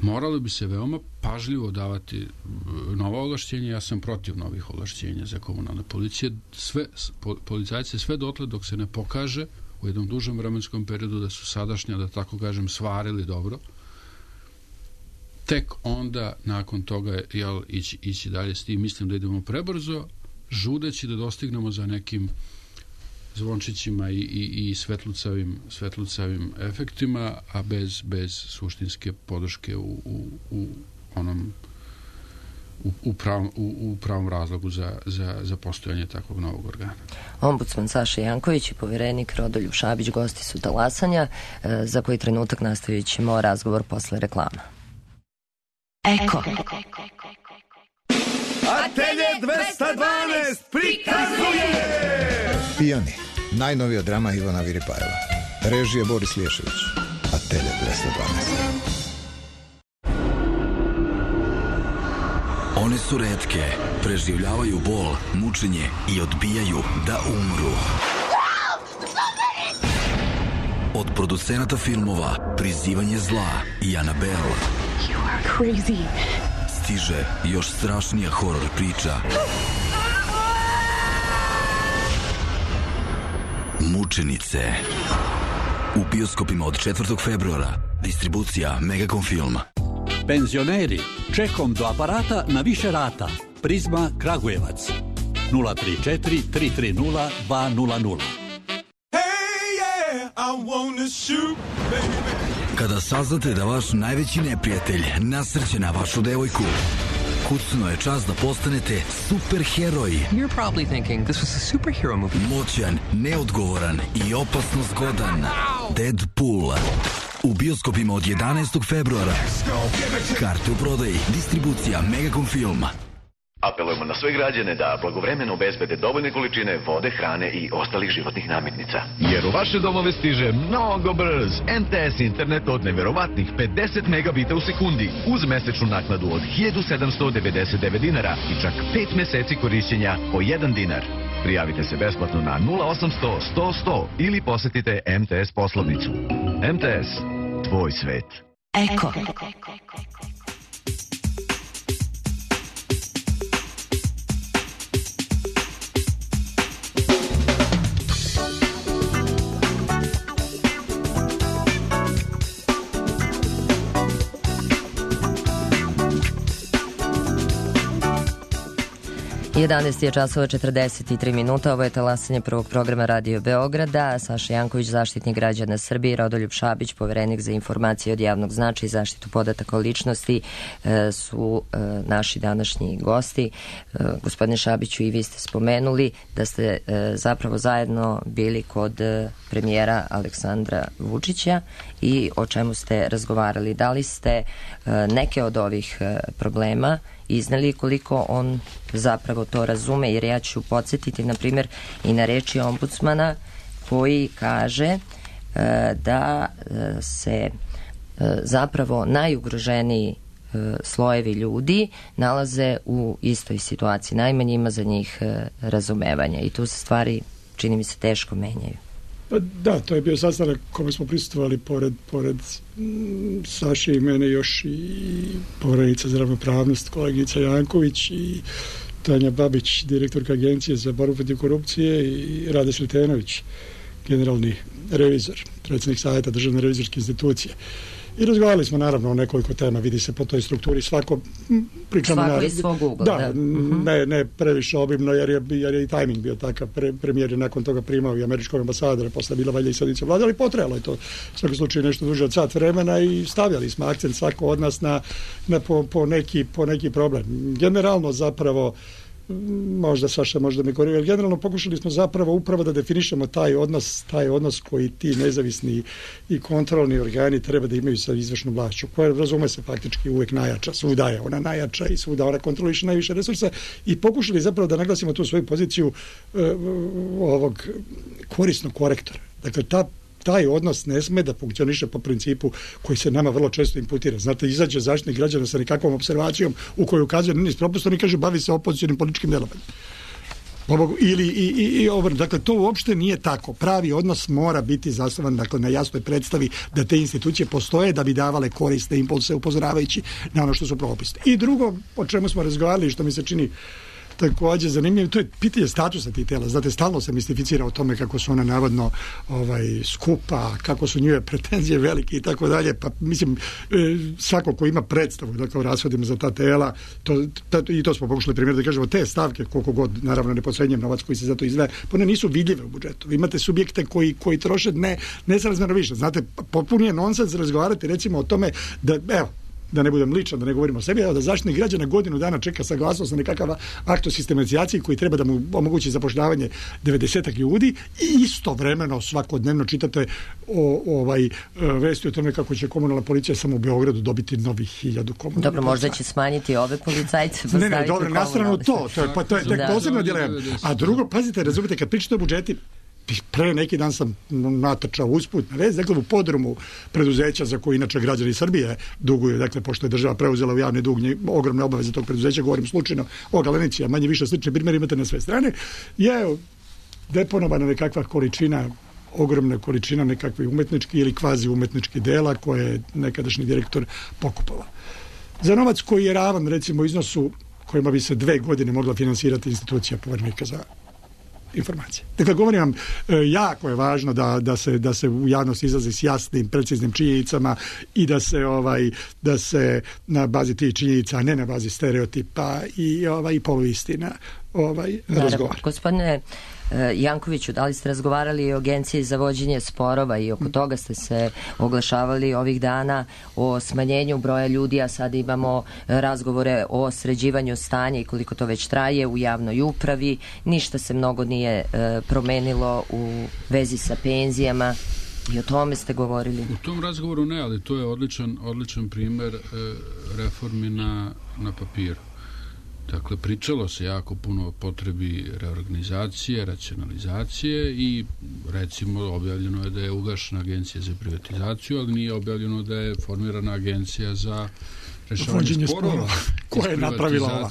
moralo bi se veoma pažljivo davati nova ovlašćenja. Ja sam protiv novih ovlašćenja za komunalne policije. Sve, policajce sve dotle dok se ne pokaže u jednom dužem vremenskom periodu da su sadašnja, da tako kažem, svarili dobro, tek onda nakon toga jel, ići, ići dalje s tim. Mislim da idemo prebrzo, žudeći da dostignemo za nekim zvončićima i, i, i svetlucavim, svetlucavim efektima, a bez, bez suštinske podrške u, u, u onom u, u, pravom, u, u pravom razlogu za, za, za postojanje takvog novog organa. Ombudsman Saša Janković i povjerenik Rodoljub Šabić gosti su Talasanja, za koji trenutak nastavit ćemo razgovor posle reklama. Eko. Atelje dvesta dvanaest prikazuje Pijani, najnovija drama Ivana Viripajeva. Režija Boris Lješević. Atelje dvesta dvanaest. One su retke, preživljavaju bol, mučenje i odbijaju da umru. Od producenata filmova Prizivanje zla i Annabelle stiže još strašnija horor priča Mučenice. U bioskopima od četvrtog februara. Distribucija Megacom Film. Penzioneri, čekom do aparata na više rata. Prizma Kragujevac. nula tri četiri tri tri nula dva nula nula. Kada saznate da vaš najveći neprijatelj nasrće na vašu devojku, kucno je čas da postanete superheroj. You're probably thinking this was a superhero movie. Moćan, neodgovoran i opasno zgodan. Deadpool. U bioskopima od jedanaestog februara. Karte u prodaji. Distribucija Megacom Film. Apelujemo na sve građane da blagovremeno obezbede dovoljne količine vode, hrane i ostalih životnih namirnica. Jer u vaše domove stiže mnogo brz em te es internet od neverovatnih pedeset megabita u sekundi uz mesečnu naknadu od hiljadu sedamsto devedeset devet dinara i čak pet meseci korišćenja po jedan dinar. Prijavite se besplatno na nula osamsto sto sto ili posetite em te es poslovnicu. em te es, tvoj svet. Eko. jedanaest je časova četrdeset tri minuta, ovo je talasanje prvog programa Radio Beograda. Saša Janković, zaštitnik građana Srbije, Rodoljub Šabić, poverenik za informacije od javnog značaja i zaštitu podataka o ličnosti e, su e, naši današnji gosti. E, gospodine Šabiću, i vi ste spomenuli da ste e, zapravo zajedno bili kod e, premijera Aleksandra Vučića i o čemu ste razgovarali. Da li ste e, neke od ovih e, problema iznali, koliko on zapravo to razume, jer ja ću podsjetiti na primjer i na reči ombudsmana koji kaže e, da e, se e, zapravo najugroženiji e, slojevi ljudi nalaze u istoj situaciji. Najmanje ima za njih e, razumevanja i tu se stvari, čini mi se, teško menjaju. Da, to je bio sastanak kome smo prisustvovali pored, pored m, Saše i mene još i poverenica za ravnopravnost kolegica Janković i Tanja Babić, direktorka Agencije za borbu protiv korupcije, i Rade Sretenović, generalni revizor, predsjednik savjeta Državne revizorske institucije. I razgovarali smo naravno o nekoliko tema, vidi se po toj strukturi, svako pričamo svako na, iz svog ugla, da, da. Ne, ne previše obimno, jer je, jer je i tajming bio takav, pre, premijer je nakon toga primao i američkog ambasadora, posle bila valjda i sedica vlade, ali potrebalo je to u svakom slučaju nešto duže od sat vremena i stavljali smo akcent svako od nas na, na po, po, neki, po neki problem. Generalno zapravo možda Saša možda me koriju, jer generalno pokušali smo zapravo upravo da definišemo taj odnos, taj odnos koji ti nezavisni i kontrolni organi treba da imaju sa izvršnom vlašću, koja razume se faktički uvek najjača, svuda je ona najjača i svuda ona kontroliše najviše resursa i pokušali zapravo da naglasimo tu svoju poziciju uh, ovog korisnog korektora. Dakle, ta taj odnos ne sme da funkcioniše po principu koji se nama vrlo često imputira. Znate, izađe zaštitnik građana sa nekakvom observacijom u kojoj ukazuje na niz propusta i kaže bavi se opozicionim političkim delovanjem. Ili i, i, i obrnuto. Dakle, to uopšte nije tako. Pravi odnos mora biti zasnovan, dakle, na jasnoj predstavi da te institucije postoje da bi davale korisne impulse upozoravajući na ono što su propisne. I drugo, o čemu smo razgovarali, što mi se čini takođe zanimljivo, to je pitanje statusa tih tela. Znate, stalno se mistificira o tome kako su ona navodno ovaj, skupa, kako su njove pretenzije velike i tako dalje, pa mislim, e, svako ko ima predstavu da kao rashodimo za ta tela, to, ta, i to smo pokušali primjer da kažemo, te stavke, koliko god, naravno ne potcenjujem novac koji se za to izdvaja, one nisu vidljive u budžetu. Vi imate subjekte koji, koji troše ne, nesrazmjerno više. Znate, potpuno je nonsens razgovarati recimo o tome da, evo, da ne budem ličan, da ne govorimo o sebi, evo da zaštitnik građana godinu dana čeka saglasnost na nekakav akt o sistematizaciji koji treba da mu omogući zapošljavanje devedesetak ljudi i istovremeno svakodnevno čitate o, o ovaj vesti o tome kako će komunalna policija samo u Beogradu dobiti novih hiljadu komunalnih. Dobro, možda će smanjiti ove policajce. Ne, ne, dobro, na stranu to, to je, pa, to je tek posebna dilema. A drugo, pazite, razumite, kad pričate o budžeti, pre neki dan sam natrčao usput na vez, dakle u podrumu preduzeća za koje inače građani Srbije duguju, dakle pošto je država preuzela u javni dug ogromne obaveze tog preduzeća, govorim slučajno o Galenici, a manje više slične primjere imate na sve strane, je deponovana nekakva količina, ogromna količina nekakvih umetničkih ili kvazi umetničkih dela koje je nekadašnji direktor pokupovao. Za novac koji je ravan recimo iznosu kojima bi se dve godine mogla finansirati institucija Poverenika za informacije. Dakle, govorim vam, jako je važno da, da, se, da se u javnosti izlazi s jasnim, preciznim činjenicama i da se ovaj da se na bazi tih činjenica, a ne na bazi stereotipa i ovaj poluistina ovaj razgovara. Gospodine Jankoviću, da li ste razgovarali o Agenciji za vođenje sporova i oko toga ste se oglašavali ovih dana o smanjenju broja ljudi, a sad imamo razgovore o sređivanju stanja i koliko to već traje u javnoj upravi, ništa se mnogo nije e, promenilo u vezi sa penzijama i o tome ste govorili. U tom razgovoru ne, ali to je odličan, odličan primer e, reformi na, na papiru. Dakle, pričalo se jako puno o potrebi reorganizacije, racionalizacije i recimo objavljeno je da je ugašena agencija za privatizaciju, ali nije objavljeno da je formirana agencija za rešavanje sporova. Koja je napravila ova?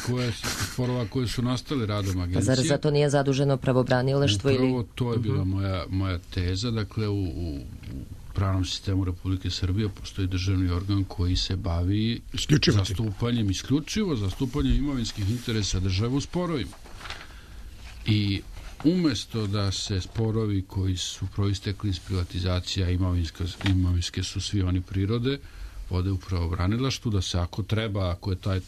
Koje su, sporova koje su nastale radom agencije. Pa zar za to nije zaduženo pravobranilaštvo? Upravo ili... to je bila moja, moja teza. Dakle, u, u pravnom sistemu Republike Srbije postoji državni organ koji se bavi zastupanjem, isključivo zastupanjem imovinskih interesa države u sporovima. I umesto da se sporovi koji su proistekli iz privatizacija imovinske, imovinske su svi oni prirode, vode u pravobranilaštvu, da se ako treba, ako je taj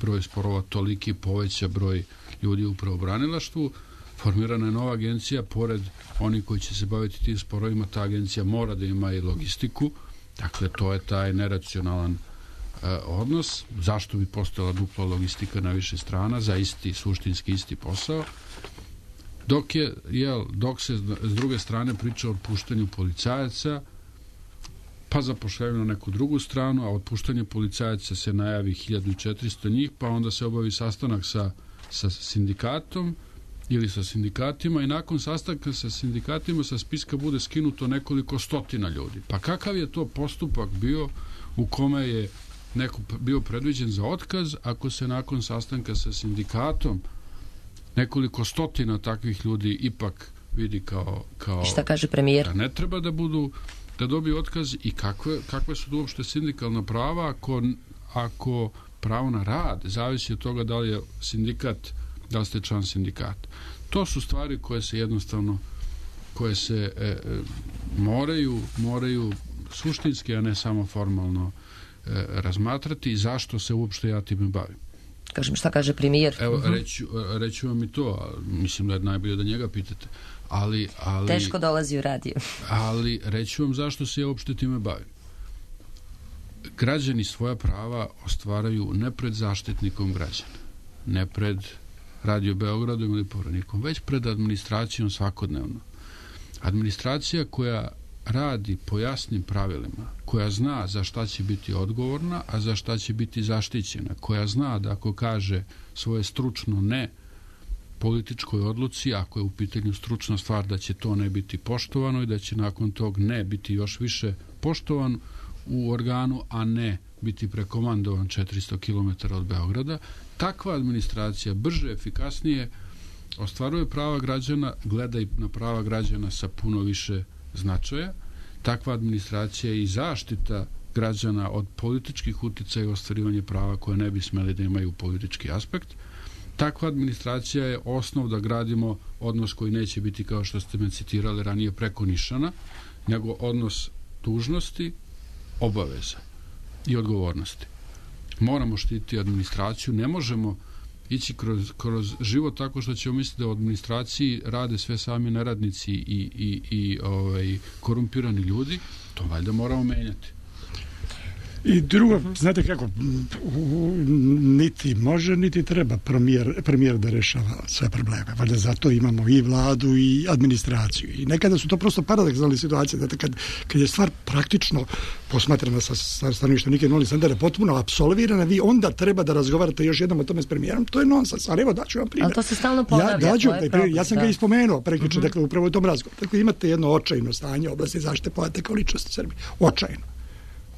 broj sporova toliki, poveća broj ljudi u pravobranilaštvu, formirana je nova agencija, pored onih koji će se baviti tim sporovima, ta agencija mora da ima i logistiku, dakle to je taj neracionalan e, odnos. Zašto bi postojala dupla logistika na više strana za isti, suštinski isti posao, dok je, jel, dok se s druge strane priča o otpuštanju policajaca, pa zapošljavaju na neku drugu stranu, a otpuštanje policajaca se najavi hiljadu četiristo njih, pa onda se obavi sastanak sa, sa sindikatom ili sa sindikatima i nakon sastanka sa sindikatima sa spiska bude skinuto nekoliko stotina ljudi. Pa kakav je to postupak bio u kome je neko bio predviđen za otkaz ako se nakon sastanka sa sindikatom nekoliko stotina takvih ljudi ipak vidi kao... kao šta kaže premijer? Da ne treba da budu da dobiju otkaz i kakve, kakve su to uopšte sindikalna prava ako, ako pravo na rad zavisi od toga da li je sindikat, da li ste član sindikata. To su stvari koje se jednostavno koje se e, e, moraju moraju suštinski, a ne samo formalno e, razmatrati i zašto se uopšte ja time bavim. Kažem, šta kaže premijer? Evo, uh-huh. reću, reću vam i to, mislim da je najbolje da njega pitate. Ali, ali, Teško dolazi u radio. Ali reću vam zašto se ja uopšte time bavim. Građani svoja prava ostvaraju ne pred zaštitnikom građana, ne pred Radio Beogradom ili Poverenikom, već pred administracijom svakodnevno. Administracija koja radi po jasnim pravilima, koja zna za šta će biti odgovorna, a za šta će biti zaštićena, koja zna da ako kaže svoje stručno ne političkoj odluci, ako je u pitanju stručna stvar, da će to ne biti poštovano i da će nakon tog ne biti još više poštovan u organu, a ne biti prekomandovan četiristo kilometara od Beograda. Takva administracija brže, efikasnije ostvaruje prava građana, gleda i na prava građana sa puno više značaja. Takva administracija i zaštita građana od političkih uticaja i ostvarivanje prava koje ne bi smeli da imaju politički aspekt. Takva administracija je osnov da gradimo odnos koji neće biti, kao što ste me citirali ranije, preko nišana, nego odnos dužnosti, obaveza i odgovornosti. Moramo štititi administraciju, ne možemo ići kroz, kroz život tako što ćemo misliti da u administraciji rade sve sami neradnici i, i, i ovaj, korumpirani ljudi. To valjda moramo menjati. I drugo, znate kako, niti može, niti treba premijer, premijer da rešava sve probleme. Valjda zato imamo i vladu i administraciju. I nekada su to prosto paradoksalne situacije. Znate, kad, kad je stvar praktično posmatrana sa, sa stanovišta Nike Noli Sandera potpuno apsolvirana, vi onda treba da razgovarate još jednom o tome s premijerom. To je nonsens. Ali evo, daću vam primjer. Ali to se stalno ponavlja. Ja, daću, taj primjer. Ja sam da. ga ispomenuo prekjuče, uh-huh. dakle, upravo u tom razgovoru. Dakle, imate jedno očajno stanje u oblasti zaštite podataka o ličnosti Srbije. Očajno.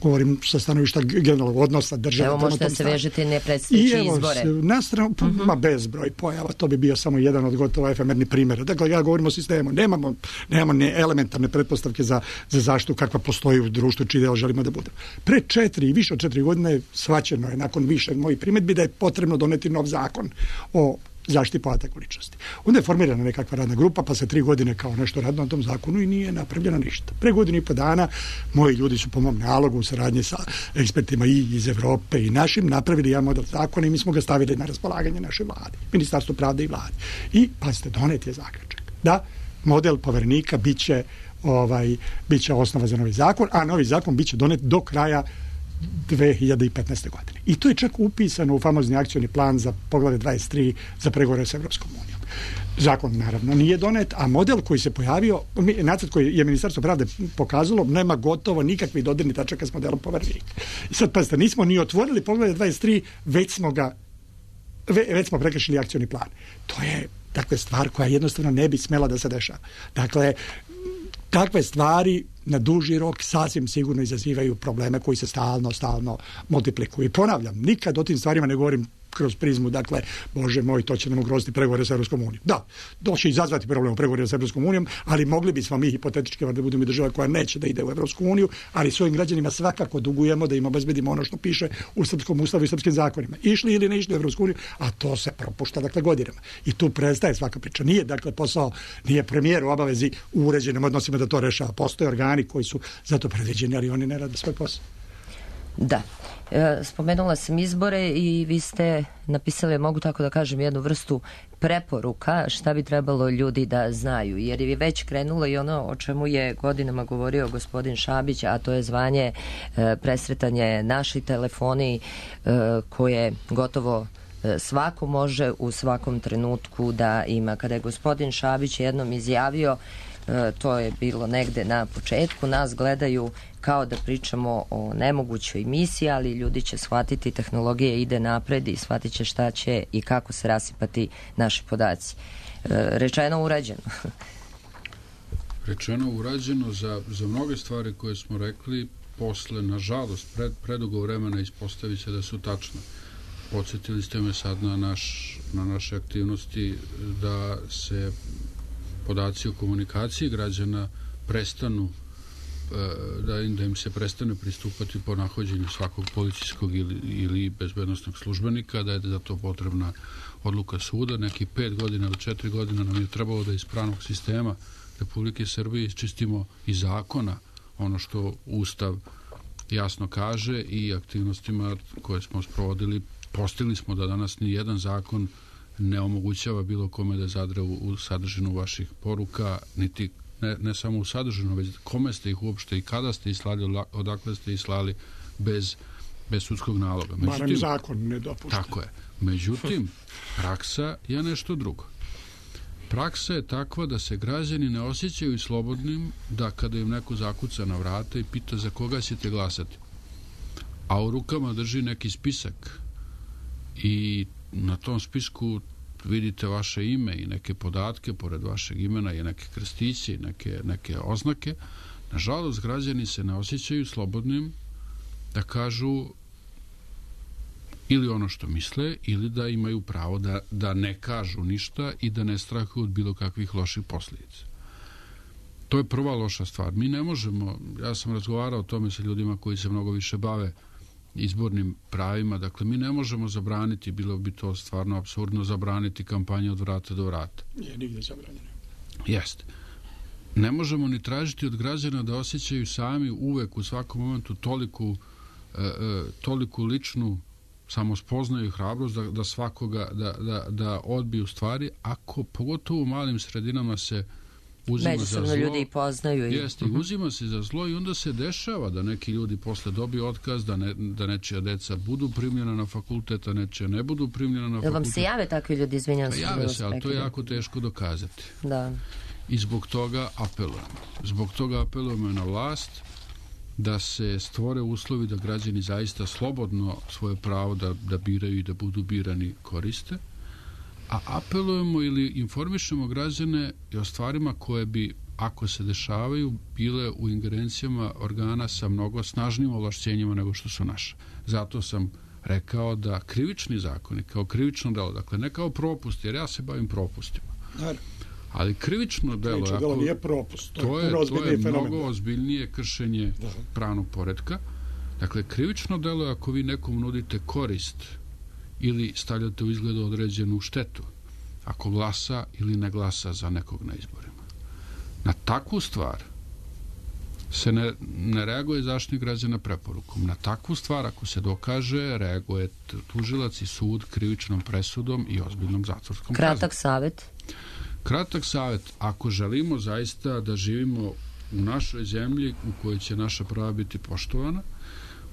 Govorim sa stanovišta generalnog odnosa države. Evo možete da se vežete ne predstavljajući izbore. Na stranu, uh-huh. ma bezbroj pojava, to bi bio samo jedan od gotovo efemerni primjera. Dakle, ja govorim o sistemu. Nemamo, nemamo ne elementarne pretpostavke za, za zaštitu kakva postoji u društvu, čiji deo želimo da bude. Pre četiri i više od četiri godine shvaćeno je, nakon više mojih primjedbi, da je potrebno doneti nov zakon o zaštiti podataka o ličnosti. Onda je formirana nekakva radna grupa, pa se tri godine kao nešto radilo na tom zakonu i nije napravljeno ništa. Pre godinu i po dana moji ljudi su po mom nalogu u saradnji sa ekspertima i iz Evrope i našim napravili jedan model zakona i mi smo ga stavili na raspolaganje našoj vladi, Ministarstvo pravde i vladi. I pa ste doneti je zaključak da model Poverenika biće, ovaj, biće osnova za novi zakon, a novi zakon biće donet do kraja dve hiljade petnaeste. godine. I to je čak upisano u famozni akcioni plan za poglavlje dvadeset tri za pregovore sa Evropskom unijom. Zakon naravno nije donet, a model koji se pojavio, nacrt koji je Ministarstvo pravde pokazalo, nema gotovo nikakvih dodirnih tačaka s modelom Poverenika. I sad, pazite, nismo ni otvorili poglavlje dvadeset tri, već smo ga već smo prekršili akcioni plan. To je, dakle, stvar koja jednostavno ne bi smela da se dešava. Dakle, takve stvari na duži rok sasvim sigurno izazivaju probleme koji se stalno, stalno multiplikuju. I ponavljam, nikad o tim stvarima ne govorim kroz prizmu, dakle, Bože moj, to će nam ugroziti pregovore sa Evropskom unijom. Da, to će izazvati problem u pregovorima sa Evropskom unijom, ali mogli bismo mi hipotetički da budemo država koja neće da ide u Evropsku uniju, ali svojim građanima svakako dugujemo da im obezbedimo ono što piše u srpskom ustavu i srpskim zakonima. Išli ili ne išli u Evropsku uniju, a to se propušta, dakle, godinama. I tu prestaje svaka priča. Nije, dakle, posao, nije premijer u obavezi u uređenim odnosima da to rešava. Postoje organi koji su za to predviđeni, ali oni ne rade svoj posao. Da. E, spomenula sam izbore i vi ste napisali, mogu tako da kažem, jednu vrstu preporuka šta bi trebalo ljudi da znaju, jer je već krenulo i ono o čemu je godinama govorio gospodin Šabić, a to je zvanje, e, presretanje naši telefoni e, koje gotovo e, svako može u svakom trenutku da ima. Kada je gospodin Šabić jednom izjavio, to je bilo negde na početku, nas gledaju kao da pričamo o nemogućoj misiji, ali ljudi će shvatiti, tehnologija ide napred i shvatit će šta će i kako se rasipati naši podaci. Rečeno, urađeno. Rečeno, urađeno za, za mnoge stvari koje smo rekli, posle, nažalost, pred, predugo vremena ispostavit se da su tačne. Podsjetili ste me sad na, naš, na naše aktivnosti da se podaci o komunikaciji građana prestanu, da im, da im se prestane pristupati po nahođenju svakog policijskog ili, ili bezbednostnog službenika, da je za to potrebna odluka suda. Neki pet godina ili četiri godina nam je trebalo da iz pravnog sistema Republike Srbije isčistimo i zakona ono što Ustav jasno kaže i aktivnostima koje smo sprovodili, postigli smo da danas ni jedan zakon ne omogućava bilo kome da zadre u, u sadržinu vaših poruka, niti ne, ne samo u sadržinu, već kome ste ih uopšte i kada ste ih slali, odakle ste ih slali bez, bez sudskog naloga. Barem zakon ne dopušta. Tako je. Međutim, praksa je nešto drugo. Praksa je takva da se građani ne osjećaju slobodnim da kada im neko zakuca na vrata i pita za koga ćete glasati, a u rukama drži neki spisak i na tom spisku vidite vaše ime i neke podatke, pored vašeg imena i neke krstiće i neke, neke oznake, nažalost građani se ne osjećaju slobodnim da kažu ili ono što misle, ili da imaju pravo da, da ne kažu ništa i da ne strahuju od bilo kakvih loših posljedica. To je prva loša stvar. Mi ne možemo, ja sam razgovarao o tome sa ljudima koji se mnogo više bave izbornim pravima, dakle mi ne možemo zabraniti, bilo bi to stvarno apsurdno zabraniti kampanju od vrata do vrata. Nije nigde zabranjeno. Jeste. Ne možemo ni tražiti od građana da osjećaju sami uvek u svakom momentu toliku, e, e, toliku ličnu samospoznaju i hrabrost da, da svakoga da, da, da odbiju stvari, ako pogotovo u malim sredinama se uzima međusobno za zlo, ljudi i poznaju. I... Jeste, i uzima se za zlo i onda se dešava da neki ljudi posle dobiju otkaz, da, ne, da nečija deca budu primljena na fakultet, a nečija ne budu primljena na fakultet. Jel vam se jave takvi ljudi, izvinjam se? Jave se, ali to je jako teško dokazati. Da. I zbog toga apelujemo. Zbog toga apelujemo na vlast da se stvore uslovi da građani zaista slobodno svoje pravo da, da biraju i da budu birani koriste, a apelujemo ili informišemo građane i o stvarima koje bi, ako se dešavaju, bile u ingerencijama organa sa mnogo snažnim ovlašćenjima nego što su naše. Zato sam rekao da krivični zakoni kao krivično delo, dakle ne kao propust, jer ja se bavim propustima. Naravno. Ali krivično delo, krivično delo nije propust, to, to je, to je mnogo ozbiljnije kršenje da. pravnog poretka. Dakle, krivično delo je ako vi nekom nudite korist ili stavljate u izgledu određenu štetu, ako glasa ili ne glasa za nekog na izborima. Na takvu stvar se ne, ne reaguje Zaštitnik građana preporukom. Na takvu stvar, ako se dokaže, reaguje tužilac i sud krivičnom presudom i ozbiljnom zatvorskom kaznom. Kratak savjet. Kratak savjet, ako želimo zaista da živimo u našoj zemlji u kojoj će naša prava biti poštovana,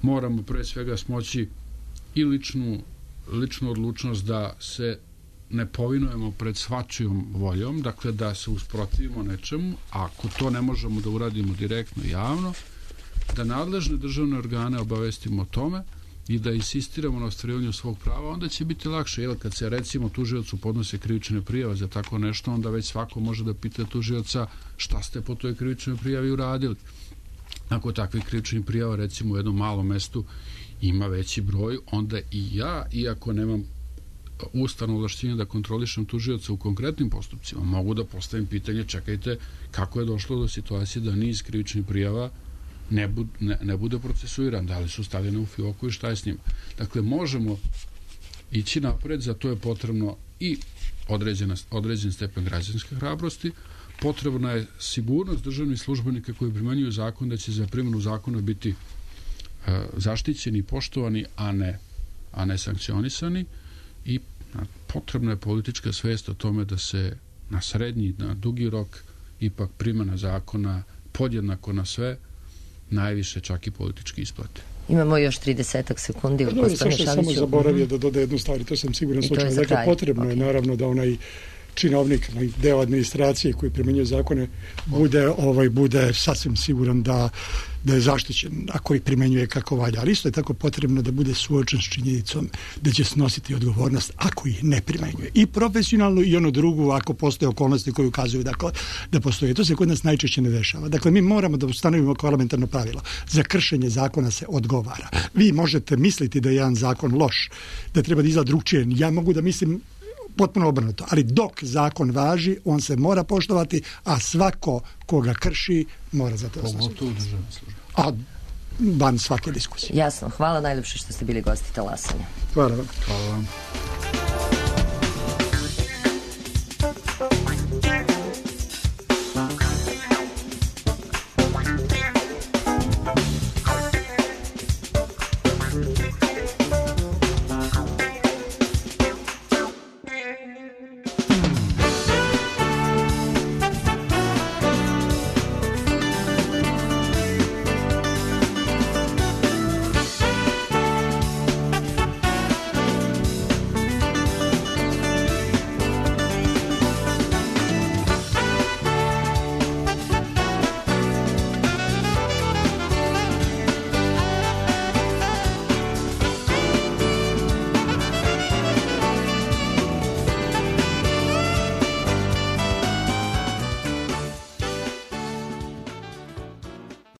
moramo pre svega smoći i ličnu, ličnu odlučnost da se ne povinujemo pred svačijom voljom, dakle da se usprotivimo nečemu, a ako to ne možemo da uradimo direktno i javno, da nadležne državne organe obavestimo o tome i da insistiramo na ostvarivanju svog prava, onda će biti lakše, jer kad se recimo tužiocu podnose krivične prijave za tako nešto, onda već svako može da pita tužioca šta ste po toj krivičnoj prijavi uradili. Ako takvih krivičnih prijava recimo u jednom malom mestu ima veći broj, onda i ja, iako nemam ustavno ovlašćenje da kontrolišem tužioca u konkretnim postupcima, mogu da postavim pitanje, čekajte, kako je došlo do situacije da niz krivičnih prijava ne, bud, ne, ne bude procesuiran, da li su stavljene u fioku i šta je s njima. Dakle, možemo ići napred, za to je potrebno i određena, određen stepen građanske hrabrosti, potrebna je sigurnost državnih službenika koji primenjuju zakon da će za primjenu zakona biti uh, zaštićeni i poštovani, a ne, a ne sankcionisani, i potrebna je politička svest o tome da se na srednji, na dugi rok ipak primjena zakona podjednako na sve, najviše čak i politički isplate. Imamo još tridesetak sekundi. Pa dobro, sve što je samo zaboravio da dode jednu stvar, to sam siguran slučaj. Dakle, potrebno okay. je naravno da onaj činovnik, deo administracije koji primjenjuje zakone bude, ovaj, bude sasvim siguran da, da je zaštićen ako ih primjenjuje kako valja. Ali isto je tako potrebno da bude suočen s činjenicom da će snositi odgovornost ako ih ne primjenjuje. I profesionalno i ono drugo ako postoje okolnosti koje ukazuju dakle, da postoje. To se kod nas najčešće ne dešava. Dakle, mi moramo da ustanovimo kao elementarno pravilo. Za kršenje zakona se odgovara. Vi možete misliti da je jedan zakon loš, da treba da izgleda drugčije. Ja mogu da mislim potpuno obrnuto, ali dok zakon važi, on se mora poštovati, a svako koga krši mora za to pogotovo državne službe. A van svake diskusije. Jasno, hvala najljepše što ste bili gosti Talasanja. Hvala vam. Hvala vam.